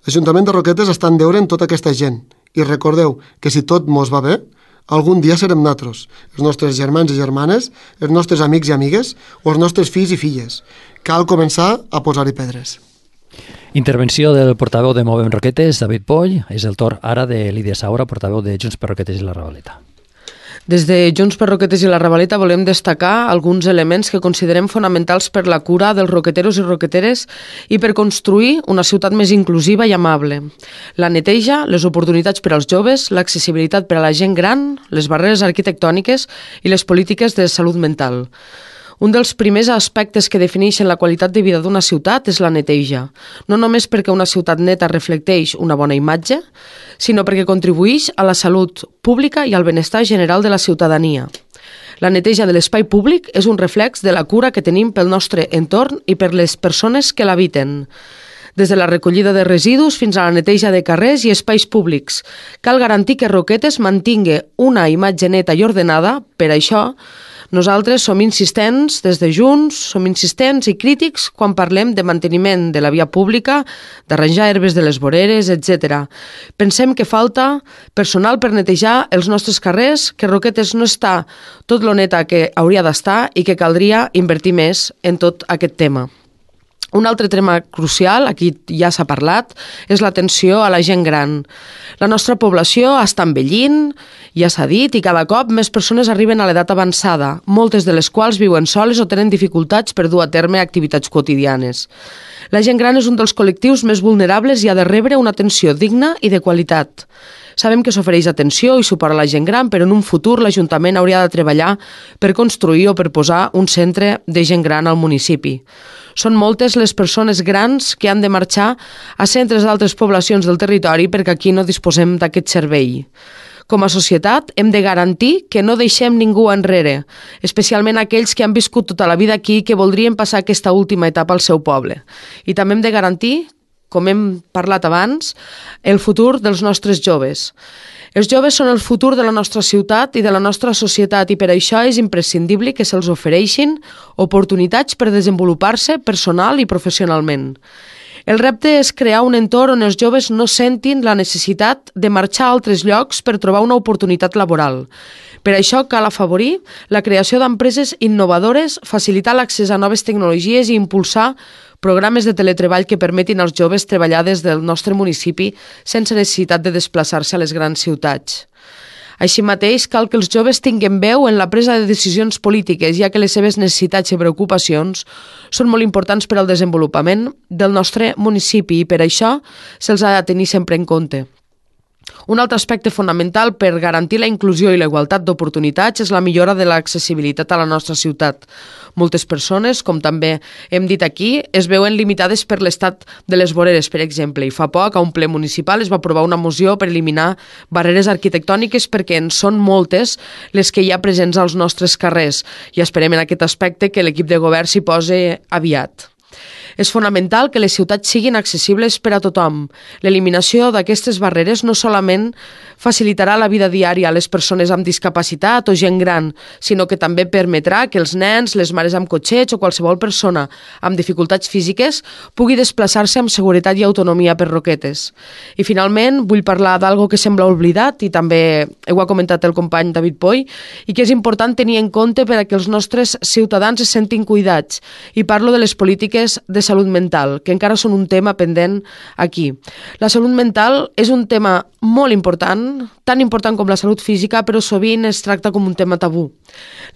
L'Ajuntament de Roquetes està en deure en tota aquesta gent. I recordeu que si tot mos va bé, algun dia serem nosaltres, els nostres germans i germanes, els nostres amics i amigues o els nostres fills i filles. Cal començar a posar-hi pedres. Intervenció del portaveu de Movem Roquetes, David Poll. És el torn ara de Lídia Saura, portaveu de Junts per Roquetes i la Ravaleta. Des de Junts per Roquetes i la Ravaleta volem destacar alguns elements que considerem fonamentals per la cura dels roqueteros i roqueteres i per construir una ciutat més inclusiva i amable. La neteja, les oportunitats per als joves, l'accessibilitat per a la gent gran, les barreres arquitectòniques i les polítiques de salut mental. Un dels primers aspectes que defineixen la qualitat de vida d'una ciutat és la neteja, no només perquè una ciutat neta reflecteix una bona imatge, sinó perquè contribueix a la salut pública i al benestar general de la ciutadania. La neteja de l'espai públic és un reflex de la cura que tenim pel nostre entorn i per les persones que l'habiten. Des de la recollida de residus fins a la neteja de carrers i espais públics. Cal garantir que Roquetes mantingui una imatge neta i ordenada. Per això, nosaltres som insistents des de Junts, som insistents i crítics quan parlem de manteniment de la via pública, d'arranjar herbes de les voreres, etcètera. Pensem que falta personal per netejar els nostres carrers, que Roquetes no està tot lo neta que hauria d'estar i que caldria invertir més en tot aquest tema. Un altre tema crucial, aquí ja s'ha parlat, és l'atenció a la gent gran. La nostra població està envellint, ja s'ha dit, i cada cop més persones arriben a l'edat avançada, moltes de les quals viuen soles o tenen dificultats per dur a terme activitats quotidianes. La gent gran és un dels col·lectius més vulnerables i ha de rebre una atenció digna i de qualitat. Sabem que s'ofereix atenció i suport a la gent gran, però en un futur l'Ajuntament hauria de treballar per construir o per posar un centre de gent gran al municipi. Són moltes les persones grans que han de marxar a centres d'altres poblacions del territori perquè aquí no disposem d'aquest servei. Com a societat hem de garantir que no deixem ningú enrere, especialment aquells que han viscut tota la vida aquí i que voldrien passar aquesta última etapa al seu poble. I també hem de garantir, com hem parlat abans, el futur dels nostres joves. Els joves són el futur de la nostra ciutat i de la nostra societat i per això és imprescindible que se'ls ofereixin oportunitats per desenvolupar-se personal i professionalment. El repte és crear un entorn on els joves no sentin la necessitat de marxar a altres llocs per trobar una oportunitat laboral. Per això cal afavorir la creació d'empreses innovadores, facilitar l'accés a noves tecnologies i impulsar programes de teletreball que permetin als joves treballar des del nostre municipi sense necessitat de desplaçar-se a les grans ciutats. Així mateix, cal que els joves tinguin veu en la presa de decisions polítiques, ja que les seves necessitats i preocupacions són molt importants per al desenvolupament del nostre municipi i per això se'ls ha de tenir sempre en compte. Un altre aspecte fonamental per garantir la inclusió i la igualtat d'oportunitats és la millora de l'accessibilitat a la nostra ciutat. Moltes persones, com també hem dit aquí, es veuen limitades per l'estat de les voreres, per exemple, i fa poc a un ple municipal es va aprovar una moció per eliminar barreres arquitectòniques perquè en són moltes les que hi ha presents als nostres carrers i esperem en aquest aspecte que l'equip de govern s'hi posi aviat. És fonamental que les ciutats siguin accessibles per a tothom. L'eliminació d'aquestes barreres no solament facilitarà la vida diària a les persones amb discapacitat o gent gran, sinó que també permetrà que els nens, les mares amb cotxets o qualsevol persona amb dificultats físiques pugui desplaçar-se amb seguretat i autonomia per Roquetes. I finalment vull parlar d'algo que sembla oblidat i també ho ha comentat el company David Poy i que és important tenir en compte per a que els nostres ciutadans es sentin cuidats i parlo de les polítiques de salut mental, que encara són un tema pendent aquí. La salut mental és un tema molt important, tan important com la salut física, però sovint es tracta com un tema tabú.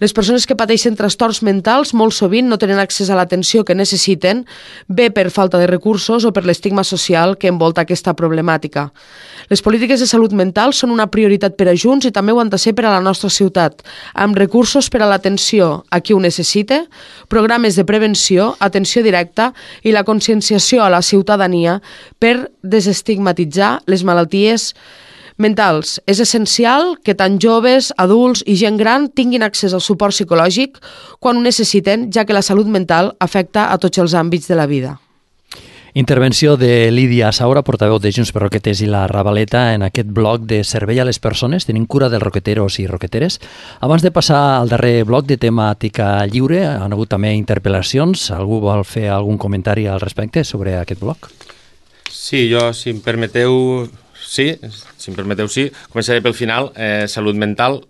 Les persones que pateixen trastorns mentals molt sovint no tenen accés a l'atenció que necessiten, bé per falta de recursos o per l'estigma social que envolta aquesta problemàtica. Les polítiques de salut mental són una prioritat per a Junts i també ho han de ser per a la nostra ciutat, amb recursos per a l'atenció a qui ho necessita, programes de prevenció, atenció directa i la conscienciació a la ciutadania per desestigmatitzar les malalties mentals. És essencial que tant joves, adults i gent gran tinguin accés al suport psicològic quan ho necessiten, ja que la salut mental afecta a tots els àmbits de la vida. Intervenció de Lídia Saura, portaveu de Junts per Roquetes i la Ravaleta en aquest bloc de servei a les persones, tenint cura dels roqueteros i roqueteres. Abans de passar al darrer bloc de temàtica lliure, han hagut també interpel·lacions. Algú vol fer algun comentari al respecte sobre aquest bloc? Sí, jo, si em permeteu, sí, si em permeteu, sí. Començaré pel final. Eh, salut mental,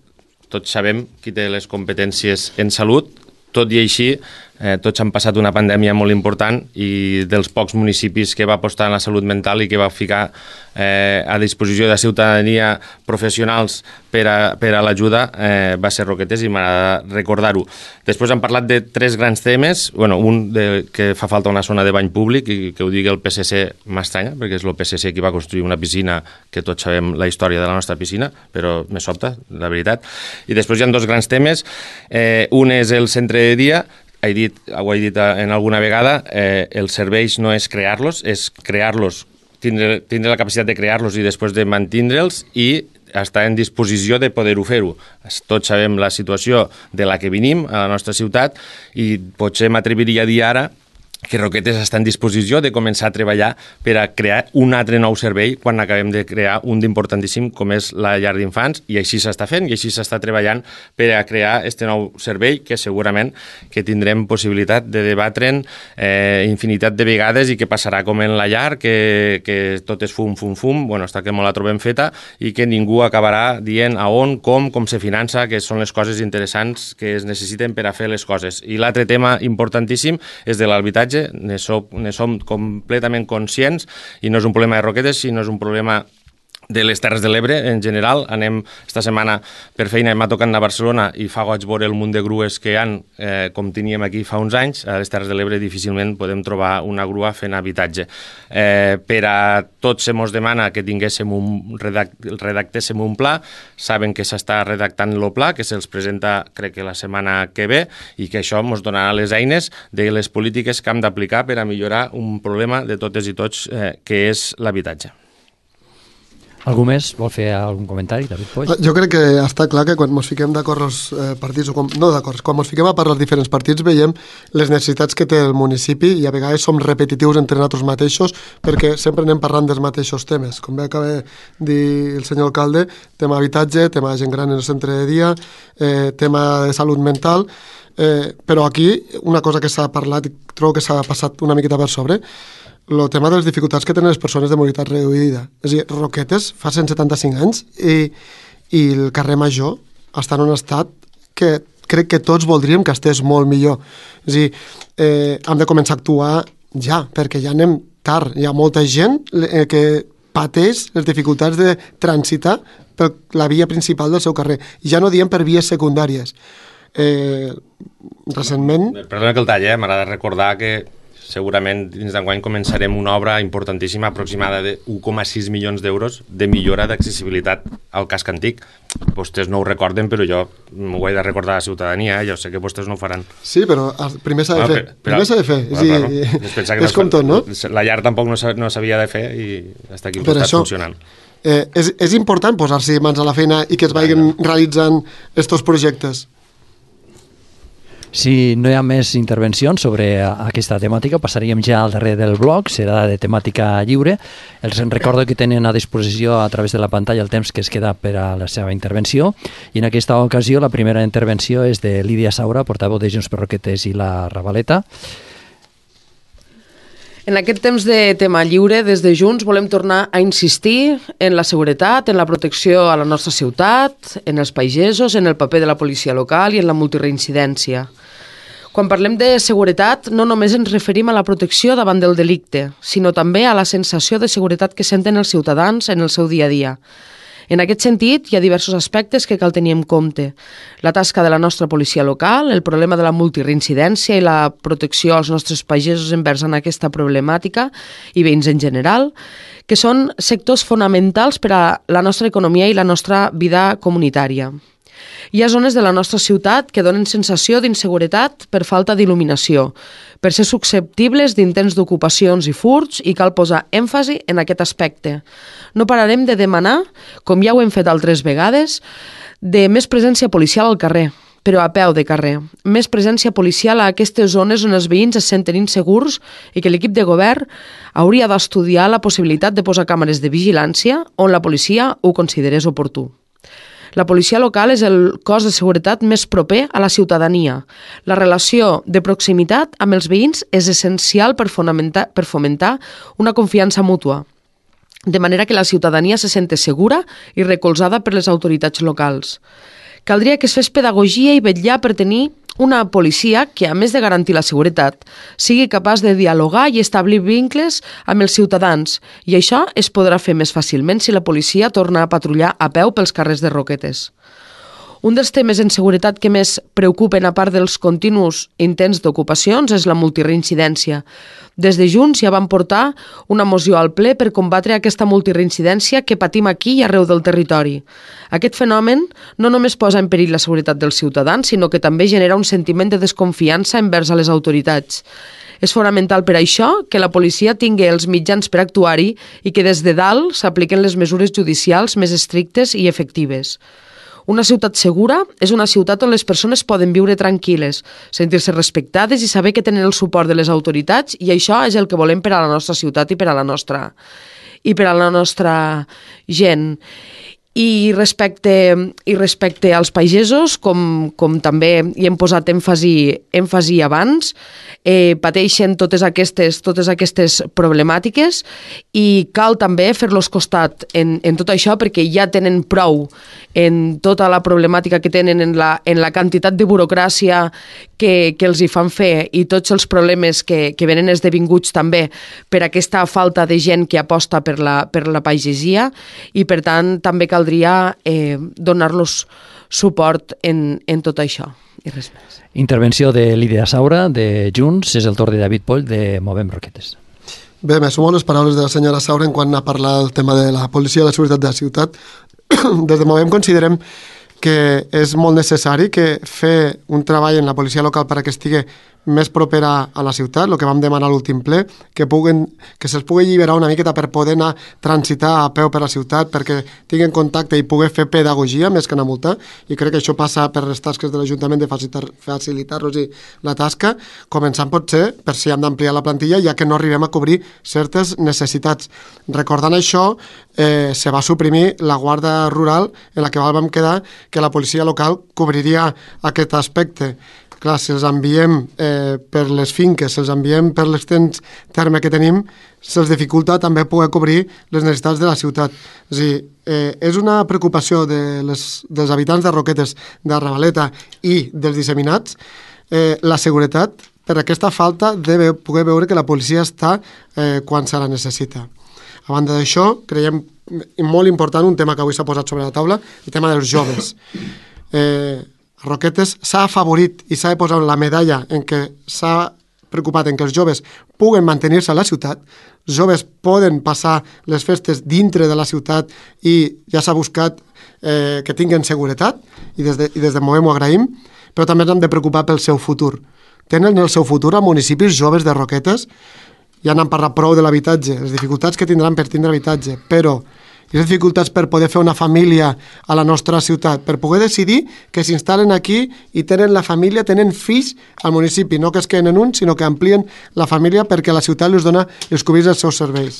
tots sabem qui té les competències en salut, tot i així, eh, tots han passat una pandèmia molt important i dels pocs municipis que va apostar en la salut mental i que va ficar eh, a disposició de la ciutadania professionals per a, per a l'ajuda eh, va ser Roquetes i m'agrada recordar-ho. Després han parlat de tres grans temes, bueno, un de, que fa falta una zona de bany públic i que ho digui el P S C m'estranya, perquè és el P S C qui va construir una piscina que tots sabem la història de la nostra piscina, però me sobta, la veritat. I després hi ha dos grans temes, eh, un és el centre de dia, he dit, ho he dit en alguna vegada, eh, els serveis no és crear-los, és crear-los, tindre, tindre la capacitat de crear-los i després de mantindre'ls i està en disposició de poder-ho fer-ho. Tots sabem la situació de la que venim a la nostra ciutat i potser m'atreviria a dir ara que Roquetes està en disposició de començar a treballar per a crear un altre nou servei quan acabem de crear un d'importantíssim com és la llar d'infants, i així s'està fent i així s'està treballant per a crear este nou servei que segurament que tindrem possibilitat de debatre'n eh, infinitat de vegades i que passarà com en la llar, que, que tot és fum, fum, fum, bueno, està que molt la trobem feta i que ningú acabarà dient a on, com, com se finança, que són les coses interessants que es necessiten per a fer les coses. I l'altre tema importantíssim és de l'habitatge. Ne som, ne som completament conscients i no és un problema de Roquetes, sinó és un problema de les Terres de l'Ebre en general. Anem esta setmana per feina, m'ha tocat anar a Barcelona i fa goig veure el munt de grues que hi ha, eh, com teníem aquí fa uns anys. A les Terres de l'Ebre difícilment podem trobar una grua fent habitatge. Eh, per a tots se mos demana que tinguéssim un redact, redactéssim un pla. Saben que s'està redactant el pla, que se'ls presenta crec que la setmana que ve, i que això ens donarà les eines de les polítiques que hem d'aplicar per a millorar un problema de totes i tots, eh, que és l'habitatge. Algú més vol fer algun comentari, David Poix? Jo crec que està clar que quan ens fiquem d'acord els eh, partits, o com, no d'acord, quan ens fiquem a parlar els diferents partits veiem les necessitats que té el municipi i a vegades som repetitius entre nosaltres mateixos perquè sempre anem parlant dels mateixos temes. Com bé acaba de dir el senyor alcalde, tema habitatge, tema gent gran en el centre de dia, eh, tema de salut mental, eh, però aquí una cosa que s'ha parlat i trobo que s'ha passat una miqueta per sobre, el tema de les dificultats que tenen les persones de mobilitat reduïda. És a dir, Roquetes fa cent setanta-cinc anys i, i el carrer Major està en un estat que crec que tots voldríem que estés molt millor. És a dir, eh, hem de començar a actuar ja, perquè ja anem tard. Hi ha molta gent eh, que pateix les dificultats de transitar per la via principal del seu carrer. Ja no diem per vies secundàries. Eh, recentment... Perdona que el talle, eh? M'agrada recordar que segurament dins d'enguany començarem una obra importantíssima aproximada de un coma sis milions d'euros de millora d'accessibilitat al casc antic. Vostès no ho recorden, però jo m'ho he de recordar a la ciutadania, eh? Jo sé que vostès no ho faran. Sí, però primer s'ha de fer. Bueno, primer s'ha de fer. Bueno, sí, claro. És, és com tot, no? La llar tampoc no s'havia de fer i està aquí al costat funcionant. Eh, és, és important posar-se mans a la feina i que es vagin realitzant estos projectes. Si no hi ha més intervencions sobre aquesta temàtica, passaríem ja al darrer del bloc, serà de temàtica lliure. Els recordo que tenen a disposició a través de la pantalla el temps que es queda per a la seva intervenció, i en aquesta ocasió la primera intervenció és de Lídia Saura, portaveu de Junts per Roquetes i la Ravaleta. En aquest temps de tema lliure, des de Junts volem tornar a insistir en la seguretat, en la protecció a la nostra ciutat, en els pagesos, en el paper de la policia local i en la multireincidència. Quan parlem de seguretat, no només ens referim a la protecció davant del delicte, sinó també a la sensació de seguretat que senten els ciutadans en el seu dia a dia. En aquest sentit, hi ha diversos aspectes que cal tenir en compte. La tasca de la nostra policia local, el problema de la multireincidència i la protecció als nostres pagesos envers en aquesta problemàtica i veïns en general, que són sectors fonamentals per a la nostra economia i la nostra vida comunitària. Hi ha zones de la nostra ciutat que donen sensació d'inseguretat per falta d'il·luminació, per ser susceptibles d'intents d'ocupacions i furts, i cal posar èmfasi en aquest aspecte. No pararem de demanar, com ja ho hem fet altres vegades, de més presència policial al carrer, però a peu de carrer. Més presència policial a aquestes zones on els veïns es senten insegurs i que l'equip de govern hauria d'estudiar la possibilitat de posar càmeres de vigilància on la policia ho considerés oportú. La policia local és el cos de seguretat més proper a la ciutadania. La relació de proximitat amb els veïns és essencial per fomentar, per fomentar una confiança mútua, de manera que la ciutadania se sente segura i recolzada per les autoritats locals. Caldria que es fes pedagogia i vetllar per tenir una policia que, a més de garantir la seguretat, sigui capaç de dialogar i establir vincles amb els ciutadans, i això es podrà fer més fàcilment si la policia torna a patrullar a peu pels carrers de Roquetes. Un dels temes en seguretat que més preocupen, a part dels continus intents d'ocupacions, és la multireincidència. Des de Junts ja van portar una moció al ple per combatre aquesta multireincidència que patim aquí i arreu del territori. Aquest fenomen no només posa en perill la seguretat dels ciutadans, sinó que també genera un sentiment de desconfiança envers a les autoritats. És fonamental per això que la policia tingui els mitjans per actuar-hi i que des de dalt s'apliquen les mesures judicials més estrictes i efectives. Una ciutat segura és una ciutat on les persones poden viure tranquil·les, sentir-se respectades i saber que tenen el suport de les autoritats, i això és el que volem per a la nostra ciutat i per a la nostra, i per a la nostra gent. I respecte, i respecte als pagesos, com, com també hi hem posat èmfasi, èmfasi abans, eh, pateixen totes aquestes, totes aquestes problemàtiques i cal també fer-los costat en, en tot això, perquè ja tenen prou en tota la problemàtica que tenen, en la, en la quantitat de burocràcia que, que els hi fan fer i tots els problemes que, que venen esdevinguts també per aquesta falta de gent que aposta per la, per la pagesia, i per tant també caldria eh, donar-los suport en, en tot això i res més. Intervenció de Lídia Saura, de Junts. És el torn de David Poll, de Movem Roquetes. Bé, me sumo a les paraules de la senyora Saura en quant a parlar del tema de la policia i la seguretat de la ciutat. Des de Movem considerem que és molt necessari que fer un treball en la policia local per a que estigui més propera a la ciutat, el que vam demanar a l'últim ple, que, puguen, que se'ls pugui alliberar una miqueta per poder anar transitar a peu per la ciutat, perquè tinguin contacte i poder fer pedagogia més que anar a multar, i crec que això passa per les tasques de l'Ajuntament de facilitar-los la tasca, començant potser per si hem d'ampliar la plantilla, ja que no arribem a cobrir certes necessitats. Recordant això, eh, se va suprimir la Guàrdia Rural, en la que vam quedar que la policia local cobriria aquest aspecte. Clar, si els enviem eh, per les finques, si els enviem per l'extens terme que tenim, se'ls dificulta també poder cobrir les necessitats de la ciutat. És a dir, eh, és una preocupació de les, dels habitants de Roquetes, de Ravaleta i dels disseminats, eh, la seguretat, per aquesta falta de poder veure que la policia està eh, quan se la necessita. A banda d'això, creiem molt important un tema que avui s'ha posat sobre la taula, el tema dels joves. Eh, Roquetes s'ha afavorit i s'ha de posar la medalla en què s'ha preocupat en que els joves puguen mantenir-se a la ciutat, els joves poden passar les festes dintre de la ciutat i ja s'ha buscat eh, que tinguin seguretat, i des de, i des de Movem ho agraïm, però també ens hem de preocupar pel seu futur. Tenen el seu futur a municipis joves de Roquetes, ja n'han parlat prou de l'habitatge, les dificultats que tindran per tindre habitatge, però i les dificultats per poder fer una família a la nostra ciutat, per poder decidir que s'instal·len aquí i tenen la família, tenen fills al municipi, no que es queden en un, sinó que amplien la família perquè la ciutat els dona els cobrits dels seus serveis.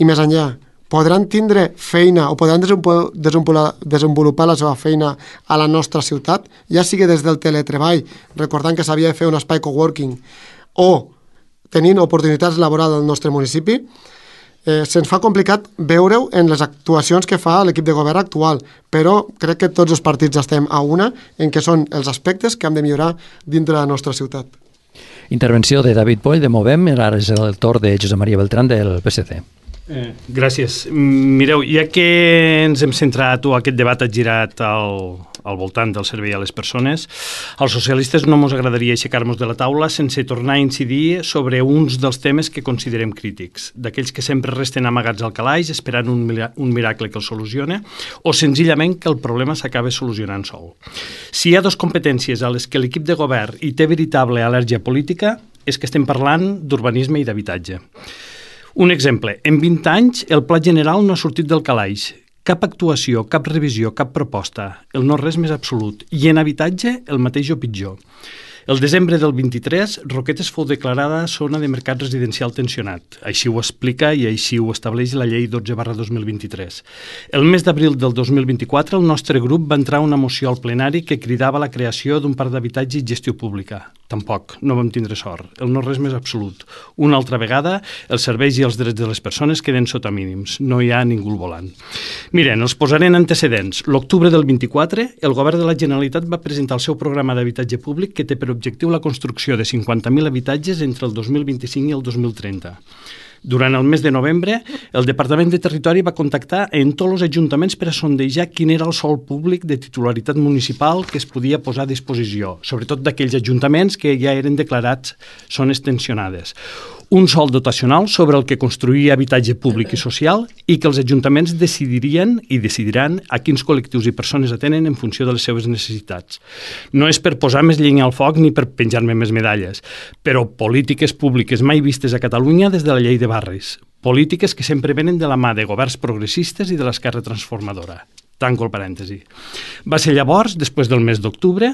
I més enllà, podran tindre feina o podran desenvolupar la seva feina a la nostra ciutat, ja sigui des del teletreball, recordant que s'havia de fer un espai coworking, o tenint oportunitats laborals al nostre municipi. Eh, se'ns fa complicat veure-ho en les actuacions que fa l'equip de govern actual, però crec que tots els partits estem a una en què són els aspectes que hem de millorar dintre de la nostra ciutat. Intervenció de David Poll, de Movem. Ara és el torn de Josep Maria Beltrán, del P S C. Eh, gràcies. Mireu, ja que ens hem centrat o aquest debat ha girat al, al voltant del servei a les persones, als socialistes no ens agradaria aixecar-nos de la taula sense tornar a incidir sobre uns dels temes que considerem crítics, d'aquells que sempre resten amagats al calaix esperant un, un miracle que els solucione, o senzillament que el problema s'acabi solucionant sol. Si hi ha dues competències a les que l'equip de govern hi té veritable al·lèrgia política, és que estem parlant d'urbanisme i d'habitatge. Un exemple, en vint anys el Pla General no ha sortit del calaix. Cap actuació, cap revisió, cap proposta. El no-res més absolut. I en habitatge, el mateix o pitjor. El desembre del vint-i-tres, Roquetes fou declarada zona de mercat residencial tensionat. Així ho explica i així ho estableix la llei dotze barra dos mil vint-i-tres. El mes d'abril del dos mil vint-i-quatre, el nostre grup va entrar una moció al plenari que cridava la creació d'un parc d'habitatge i gestió pública. Tampoc, no vam tindre sort. El no-res més absolut. Una altra vegada, els serveis i els drets de les persones queden sota mínims. No hi ha ningú al volant. Miren, els posaré en antecedents. L'octubre del vint-i-quatre, el govern de la Generalitat va presentar el seu programa d'habitatge públic que té per objectiu la construcció de cinquanta mil habitatges entre el dos mil vint-i-cinc i el dos mil trenta. Durant el mes de novembre, el Departament de Territori va contactar en tots els ajuntaments per a sondejar quin era el sòl públic de titularitat municipal que es podia posar a disposició, sobretot d'aquells ajuntaments que ja eren declarats zones tensionades. Un sòl dotacional sobre el que construir habitatge públic i social i que els ajuntaments decidirien i decidiran a quins col·lectius i persones atenen en funció de les seves necessitats. No és per posar més llenya al foc ni per penjar-me més medalles, però polítiques públiques mai vistes a Catalunya des de la llei de barris. Polítiques que sempre venen de la mà de governs progressistes i de l'esquerra transformadora. Tanco el parèntesi. Va ser llavors, després del mes d'octubre,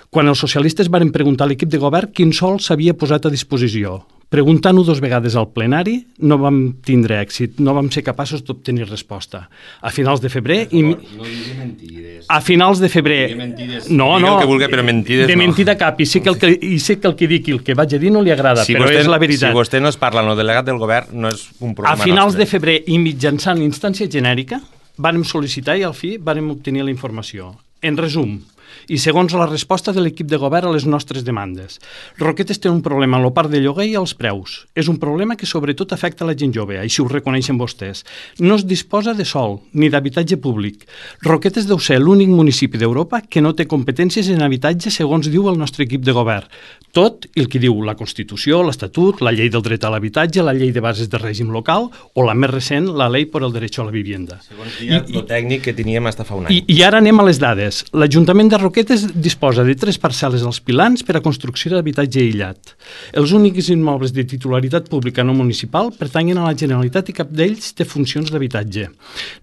quan els socialistes varen preguntar a l'equip de govern quin sòl s'havia posat a disposició. Preguntant-ho dos vegades al plenari, no vam tindre èxit, no vam ser capaços d'obtenir resposta. A finals de febrer... I... No digui mentides. A finals de febrer... Mentides. No, Digue no, el que vulgui, però mentides de no. mentida cap, i sé que el que, i sé que el que dic i el que vaig a dir no li agrada, si però vostè, és la veritat. Si vostè no es parla amb el delegat del govern, no és un problema A finals nostre. de febrer i mitjançant l'instància genèrica, vàrem sol·licitar i al fi vàrem obtenir la informació. En resum, i segons la resposta de l'equip de govern a les nostres demandes, Roquetes té un problema en la part de lloguer i els preus. És un problema que sobretot afecta la gent jove, així ho reconeixen vostès. No es disposa de sòl ni d'habitatge públic. Roquetes deu ser l'únic municipi d'Europa que no té competències en habitatge segons diu el nostre equip de govern. Tot el que diu la Constitució, l'Estatut, la llei del dret a l'habitatge, la llei de bases de règim local o la més recent, la llei per al dret a la vivienda. Segons dia, I, el tècnic que teníem hasta fa un any. I, I ara anem a les dades. L'Ajuntament de Roquetes disposa de tres parcel·les als Pilans per a construcció d'habitatge aïllat. Els únics immobles de titularitat pública no municipal pertanyen a la Generalitat i cap d'ells té funcions d'habitatge.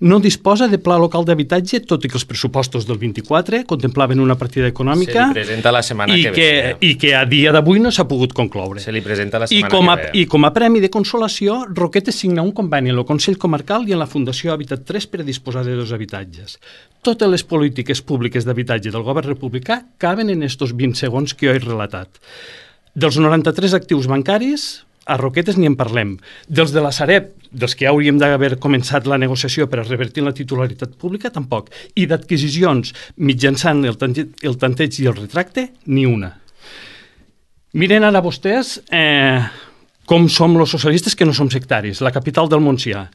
No disposa de pla local d'habitatge, tot i que els pressupostos del vint-i-quatre contemplaven una partida econòmica Se li presenta la setmana i que, que ve. i que a dia d'avui no s'ha pogut concloure. Se li presenta la I setmana com, a, que ve. I com a premi de consolació, Roquetes signa un conveni en el Consell Comarcal i en la Fundació Habitat tres per a disposar de dos habitatges. Totes les polítiques públiques d'habitatge del govern republicà caben en estos vint segons que jo he relatat. Dels noranta-tres actius bancaris, a Roquetes ni en parlem. Dels de la Sareb, dels que ja hauríem d'haver començat la negociació per a revertir la titularitat pública, tampoc. I d'adquisicions mitjançant el, el tanteig i el retracte, ni una. Miren ara vostès eh, com som els socialistes que no som sectaris. La capital del Montsià.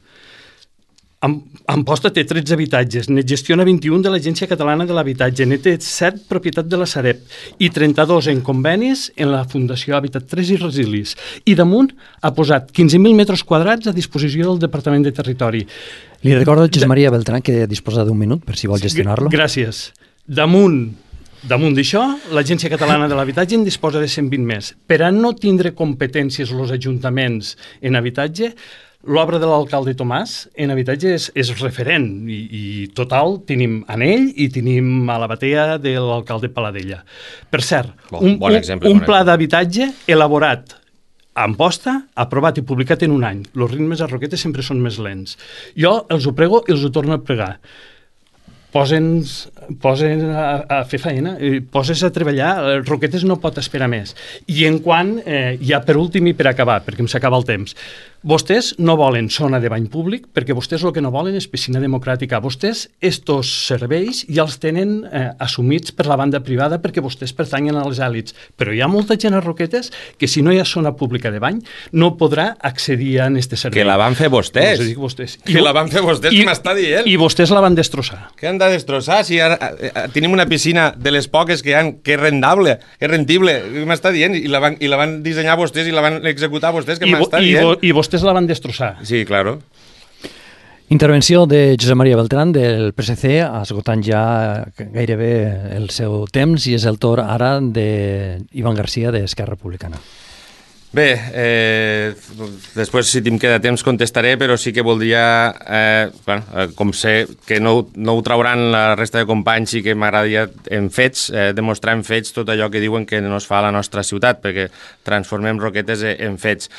Amposta té tretze habitatges, ne gestiona vint-i-un de l'Agència Catalana de l'Habitatge, ne té set propietat de la Sareb i trenta-dos en convenis en la Fundació Habitat tres i Resilis. I damunt ha posat quinze mil metres quadrats a disposició del Departament de Territori. Li recordo a Josep Maria Beltrán que disposa d'un minut per si vol gestionar-lo. Gràcies. Damunt Damunt d'això, l'Agència Catalana de l'Habitatge en disposa de cent vint més. Per a no tindre competències els ajuntaments en habitatge, l'obra de l'alcalde Tomàs en habitatge és, és referent i, i total tenim en ell i tenim a la batea de l'alcalde Paladella. Per cert, bon, un, bon exemple, un, un bon pla d'habitatge elaborat a Amposta, aprovat i publicat en un any. Els ritmes a Roquetes sempre són més lents. Jo els ho prego i els ho torno a pregar. Posen, posen a, a fer feina, poses a treballar, Roquetes no pot esperar més. I en quant, eh, ja per últim i per acabar, perquè em s'acaba el temps, vostès no volen zona de bany públic perquè vostès el que no volen és piscina democràtica. Vostès estos serveis ja els tenen eh, assumits per la banda privada perquè vostès pertanyen a les èlits. Però hi ha molta gent a Roquetes que si no hi ha zona pública de bany no podrà accedir a aquest servei. Que la van fer vostès. No, vostès. Que I, la van fer vostès, i, que m'està dient. I vostès la van destrossar. Què han de destrossar? Si ara, eh, tenim una piscina de les poques que hi ha, que és rendable, que és rendible, m'està dient, i la, van, i la van dissenyar vostès i la van executar vostès, que m'està dient. I, i vostès la van destrossar. Sí, claro. Intervenció de Josep Maria Beltrán del P S C, esgotant ja gairebé el seu temps, i és el torn ara d'Ivan Garcia d'Esquerra Republicana. Bé, eh, després si em queda temps contestaré, però sí que voldria, eh, bueno, eh, com sé que no, no ho trauran la resta de companys, sí que m'agradaria en fets, eh, demostrar en fets tot allò que diuen que no es fa a la nostra ciutat, perquè transformem Roquetes en fets.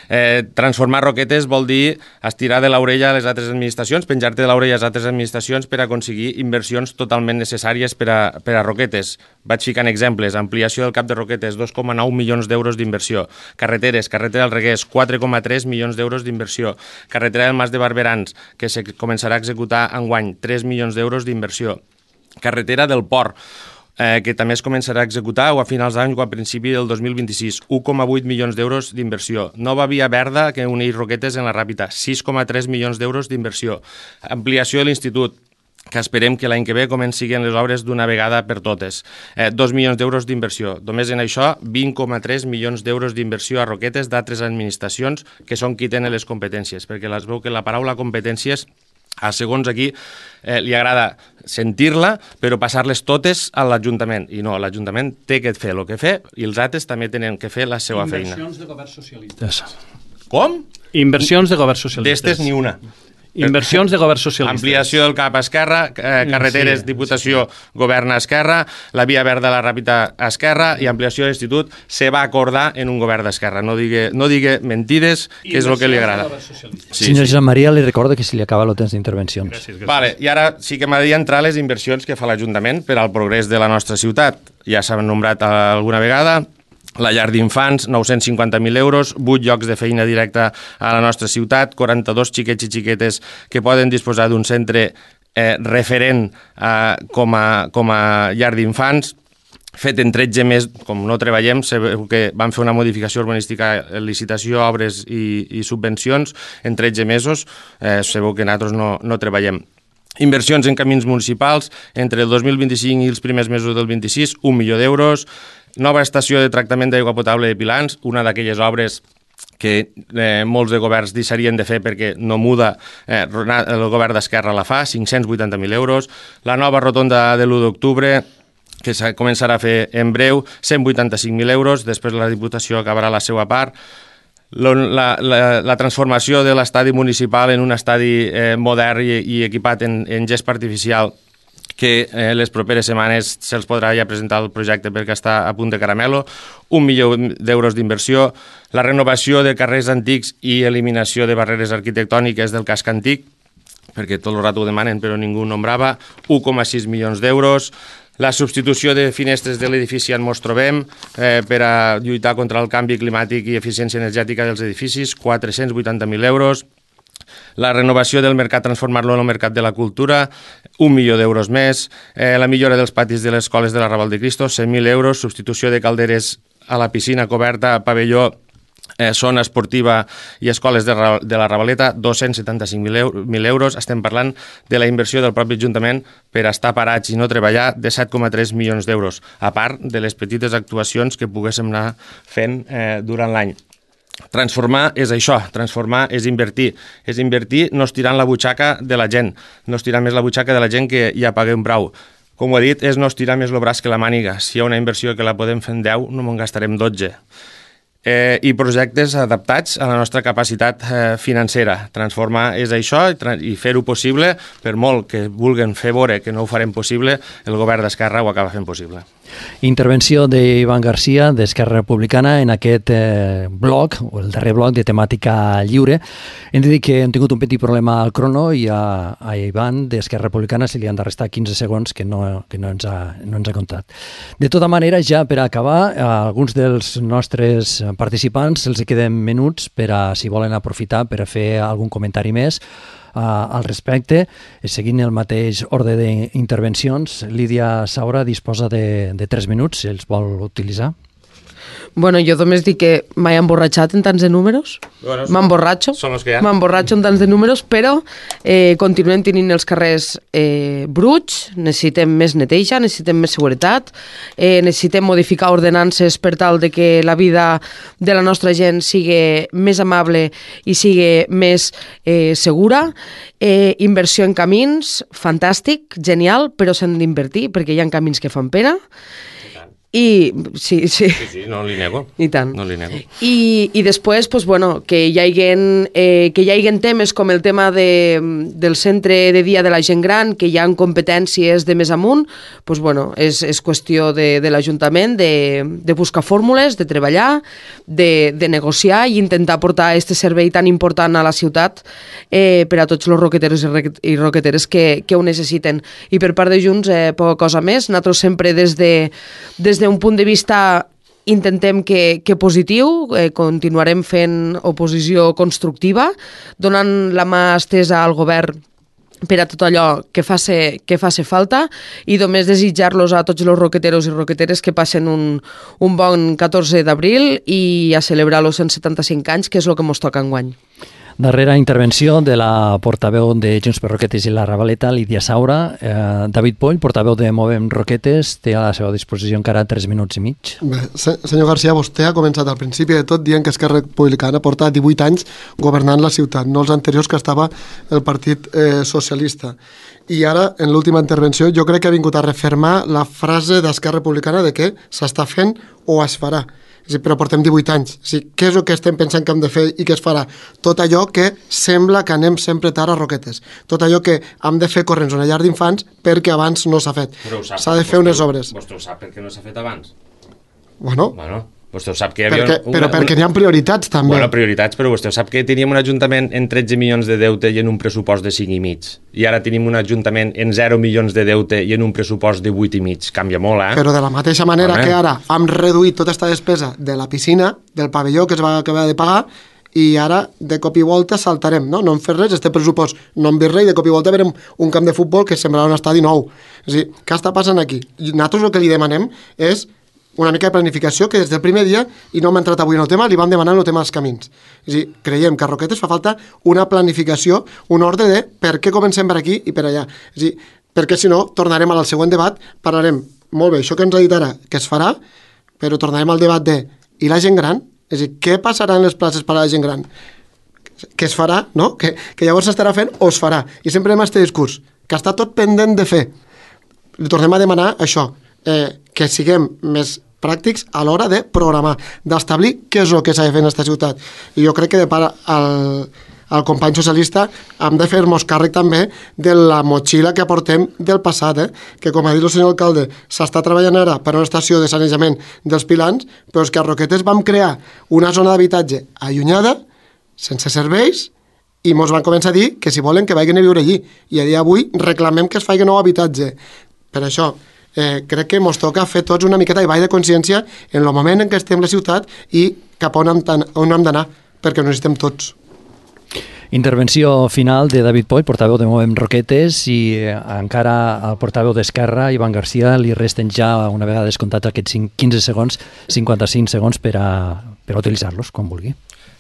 Eh, transformar Roquetes vol dir estirar de l'orella a les altres administracions, penjar-te de l'orella a les altres administracions per aconseguir inversions totalment necessàries per a, per a Roquetes. Vaig ficant exemples, ampliació del cap de Roquetes, dos coma nou milions d'euros d'inversió, carreteres, carretera del Reguers, quatre coma tres milions d'euros d'inversió, carretera del Mas de Barberans, que se començarà a executar enguany, tres milions d'euros d'inversió, carretera del Port, eh, que també es començarà a executar o a finals d'any o a principi del dos mil vint-i-sis. un coma vuit milions d'euros d'inversió. Nova via verda que uneix Roquetes en la Ràpita. sis coma tres milions d'euros d'inversió. Ampliació de l'institut, que esperem que l'any que ve comencin les obres d'una vegada per totes. Eh, dos milions d'euros d'inversió. Només en això, vint coma tres milions d'euros d'inversió a Roquetes d'altres administracions que són qui tenen les competències, perquè es veu que la paraula competències, a segons aquí, eh, li agrada sentir-la, però passar-les totes a l'Ajuntament. I no, l'Ajuntament té que fer el que fer i els altres també tenen que fer la seva feina. Inversions de governs socialistes. Com? Inversions de governs socialistes. D'estes ni una. Inversions de governs socialistes. Ampliació del cap a Esquerra, eh, carreteres, sí, Diputació, sí. Govern a Esquerra, la via verda a la Ràpita a Esquerra i ampliació de l'Institut se va acordar en un govern d'Esquerra. No digui, no digui mentides, que és el que li agrada. Sí, Senyor sí. Jean Maria, li recordo que se li acaba el temps d'intervencions. Gràcies, gràcies. Vale, i ara sí que m'agradaria entrar a les inversions que fa l'Ajuntament per al progrés de la nostra ciutat. Ja s'han nombrat alguna vegada. La llar d'infants, nou-cents cinquanta mil euros, vuit llocs de feina directa a la nostra ciutat, quaranta-dos xiquets i xiquetes que poden disposar d'un centre eh, referent eh, com, a, com a llar d'infants, fet en tretze mesos, com no treballem, sabeu que vam fer una modificació urbanística, licitació, obres i, i subvencions en tretze mesos, eh, sabeu que nosaltres no, no treballem. Inversions en camins municipals, entre el dos mil vint-i-cinc i els primers mesos del vint-i-sis, un milió d'euros. Nova estació de tractament d'aigua potable de Pilans, una d'aquelles obres que eh, molts de governs deixarien de fer perquè no muda, eh, el govern d'Esquerra la fa, cinc-cents vuitanta mil euros. La nova rotonda de l'u d'octubre, que se començarà a fer en breu, cent vuitanta-cinc mil euros, després la Diputació acabarà la seva part. La, la, la transformació de l'estadi municipal en un estadi eh, modern i, i equipat en, en gest artificial, que eh, les properes setmanes se'ls podrà ja presentar el projecte perquè està a punt de caramelo, un milió d'euros d'inversió, la renovació de carrers antics i eliminació de barreres arquitectòniques del casc antic, perquè tot el rato ho demanen però ningú nombrava, un coma sis milions d'euros, la substitució de finestres de l'edifici on ens trobem eh, per a lluitar contra el canvi climàtic i eficiència energètica dels edificis, quatre-cents vuitanta mil euros, la renovació del mercat, transformar-lo en el mercat de la cultura, un milió d'euros més, eh, la millora dels patis de les escoles de la Raval de Cristo, cent mil euros, substitució de calderes a la piscina coberta, pavelló, eh, zona esportiva i escoles de, de la Ravaleta, dos-cents setanta-cinc mil euros. Estem parlant de la inversió del propi Ajuntament per estar parats i no treballar de set coma tres milions d'euros, a part de les petites actuacions que poguéssim anar fent eh, durant l'any. Transformar és això, transformar és invertir. És invertir no estirant la butxaca de la gent, no estirar més la butxaca de la gent que ja paguem prou. Com ho he dit, és no estirar més el braç que la màniga. Si hi ha una inversió que la podem fer en deu, no me'n gastarem dotze. Eh, I projectes adaptats a la nostra capacitat eh, financera. Transformar és això i, i fer-ho possible, per molt que vulguin fer veure que no ho farem possible, el govern d'Esquerra ho acaba fent possible. Intervenció d'Ivan Garcia, d'Esquerra Republicana, en aquest eh, bloc, o el darrer bloc de temàtica lliure. Hem de dir que hem tingut un petit problema al crono i a, a Ivan, d'Esquerra Republicana, se li han de restar quinze segons que no, que no, ens ha, no ens ha comptat. De tota manera, ja per acabar, a alguns dels nostres participants els queden minuts per a, si volen aprofitar, per a fer algun comentari més Uh, al respecte, seguint el mateix ordre d'intervencions. Lídia Saura disposa de, de tres minuts, si els vol utilitzar. Bueno, jo només dic que m'he emborratxat en tants de números. Bueno, M'emborratxo. Són els que hi ha. M'emborratxo en tants de números, però eh, continuem tenint els carrers eh, bruts, necessitem més neteja, necessitem més seguretat, eh, necessitem modificar ordenances per tal de que la vida de la nostra gent sigui més amable i sigui més eh, segura. Eh, inversió en camins, fantàstic, genial, però s'han d'invertir perquè hi ha camins que fan pena. I, sí, sí. Sí, sí, no li nego. I tant. No li nego. I, i després, pues, bueno, que hi haiguen, eh, que hi haiguen temes com el tema de, del centre de dia de la gent gran, que hi ha competències de més amunt, pues, bueno, és, és qüestió de, de l'Ajuntament de, de buscar fórmules, de treballar, de, de negociar i intentar portar aquest servei tan important a la ciutat eh, per a tots els roqueteros i roqueteres que, que ho necessiten. I per part de Junts, eh, poca cosa més. Nosaltres sempre des de, des de un punt de vista intentem que, que positiu, eh, continuarem fent oposició constructiva, donant la mà estesa al govern per a tot allò que faci, que faci falta i només desitjar-los a tots els roqueteros i roqueteres que passen un, un bon catorze d'abril i a celebrar els cent setanta-cinc anys, que és el que ens toca enguany. Darrera intervenció de la portaveu de Junts per Roquetes i la Ravaleta, Lídia Saura. Eh, David Poll, portaveu de Movem Roquetes, té a la seva disposició encara tres minuts i mig. Bé, senyor García, vostè ha començat al principi de tot dient que Esquerra Republicana porta divuit anys governant la ciutat, no els anteriors que estava el Partit eh, Socialista. I ara, en l'última intervenció, jo crec que ha vingut a refermar la frase d'Esquerra Republicana de que s'està fent o es farà. Sí, però portem divuit anys. Sí, què és el que estem pensant que hem de fer i què es farà? Tot allò que sembla que anem sempre tard a Roquetes. Tot allò que hem de fer corrents una llar d'infants perquè abans no s'ha fet. S'ha de fer unes obres. Vostè ho sap perquè no s'ha fet abans? Bueno, Bueno, vostè ho sap que hi havia... perquè, però perquè n'hi ha prioritats, també. Bueno, prioritats, però vostè ho sap que teníem un ajuntament en tretze milions de deute i en un pressupost de cinc i mig. I ara tenim un ajuntament en zero milions de deute i en un pressupost de vuit i mig. Canvia molt, eh? Però de la mateixa manera Home. que ara hem reduït tota aquesta despesa de la piscina, del pavelló que es va acabar de pagar, i ara de cop i volta saltarem, no? No hem fet res, este pressupost no hem vist res, i de cop i volta verem un camp de futbol que semblarà un estadi nou. És a dir, què està passant aquí? I nosaltres el que li demanem és una mica de planificació que des del primer dia, i no hem entrat avui en el tema, li vam demanar en el tema dels camins. És a dir, creiem que a Roquetes fa falta una planificació, un ordre de per què comencem per aquí i per allà. És a dir, perquè si no, tornarem al següent debat, parlarem, molt bé, això que ens ha dit ara, que es farà, però tornarem al debat de, i la gent gran? És a dir, què passarà en les places per a la gent gran? Que es farà, no? Que, que llavors s'estarà fent o es farà. I sempre hem aquest discurs, que està tot pendent de fer. Li tornem a demanar això, eh, que siguem més pràctics a l'hora de programar, d'establir què és el que s'ha de fer en aquesta ciutat. I jo crec que de part al, al company socialista hem de fer-nos càrrec també de la motxilla que aportem del passat, eh? Que com ha dit el senyor alcalde, s'està treballant ara per una estació de sanejament dels Pilans, però és que a Roquetes vam crear una zona d'habitatge allunyada, sense serveis, i mos van començar a dir que si volen que vagin a viure allí. I a dia d'avui reclamem que es faci nou habitatge. Per això, Eh, crec que ens toca fer tots una miqueta de ball de consciència en el moment en què estem a la ciutat i cap on hem, on hem d'anar, perquè ho necessitem tots. Intervenció final de David Poll, portaveu de Movem Roquetes, i eh, encara al portaveu d'Esquerra, Ivan García, li resten ja, una vegada descomptats aquests quinze segons, cinquanta-cinc segons per a, per a utilitzar-los, quan vulgui.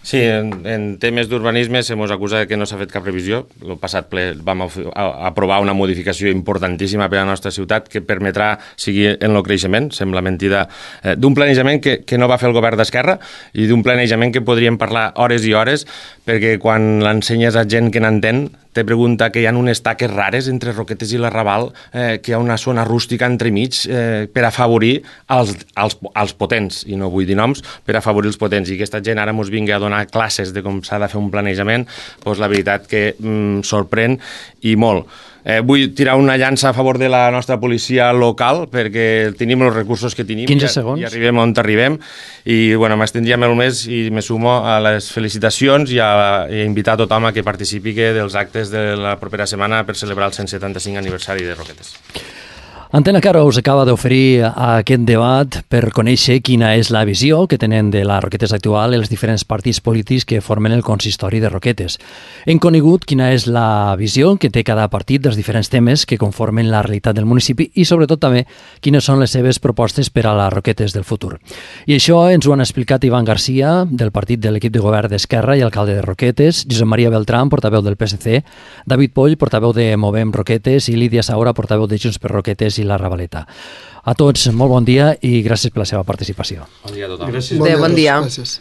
Sí, en, en temes d'urbanisme se mos acusa que no s'ha fet cap revisió. El passat ple vam a, a, aprovar una modificació importantíssima per a la nostra ciutat que permetrà seguir en el creixement. Sembla mentida eh, d'un planejament que, que no va fer el govern d'Esquerra i d'un planejament que podríem parlar hores i hores, perquè quan l'ensenyes a gent que n'entén te pregunta que hi ha unes taques rares entre Roquetes i la Raval, eh, que hi ha una zona rústica entremig eh, per afavorir els, els, els potents, i no vull dir noms, per afavorir els potents. I aquesta gent ara ens vingui a donar classes de com s'ha de fer un planejament, doncs la veritat que mm, sorprèn i molt. Eh, vull tirar una llança a favor de la nostra policia local, perquè tenim els recursos que tenim quinze i, segons. i arribem on arribem, i bueno, m'estendria molt més i me sumo a les felicitacions i a, i a invitar a tothom a que participi dels actes de la propera setmana per celebrar el cent setanta-cinc aniversari de Roquetes. Antena Caro us acaba d'oferir aquest debat per conèixer quina és la visió que tenen de la Roquetes actual els diferents partits polítics que formen el consistori de Roquetes. Hem conegut quina és la visió que té cada partit dels diferents temes que conformen la realitat del municipi i sobretot també quines són les seves propostes per a les Roquetes del futur. I això ens ho han explicat Ivan García, del partit de l'equip de govern d'Esquerra i alcalde de Roquetes, Josep Maria Beltrán, portaveu del P S C, David Poll, portaveu de Movem Roquetes, i Lídia Saura, portaveu de Junts per Roquetes i la Ravaleta. A tots, molt bon dia i gràcies per la seva participació. Bon dia a tothom. Gràcies. Adéu, bon dia. Gràcies.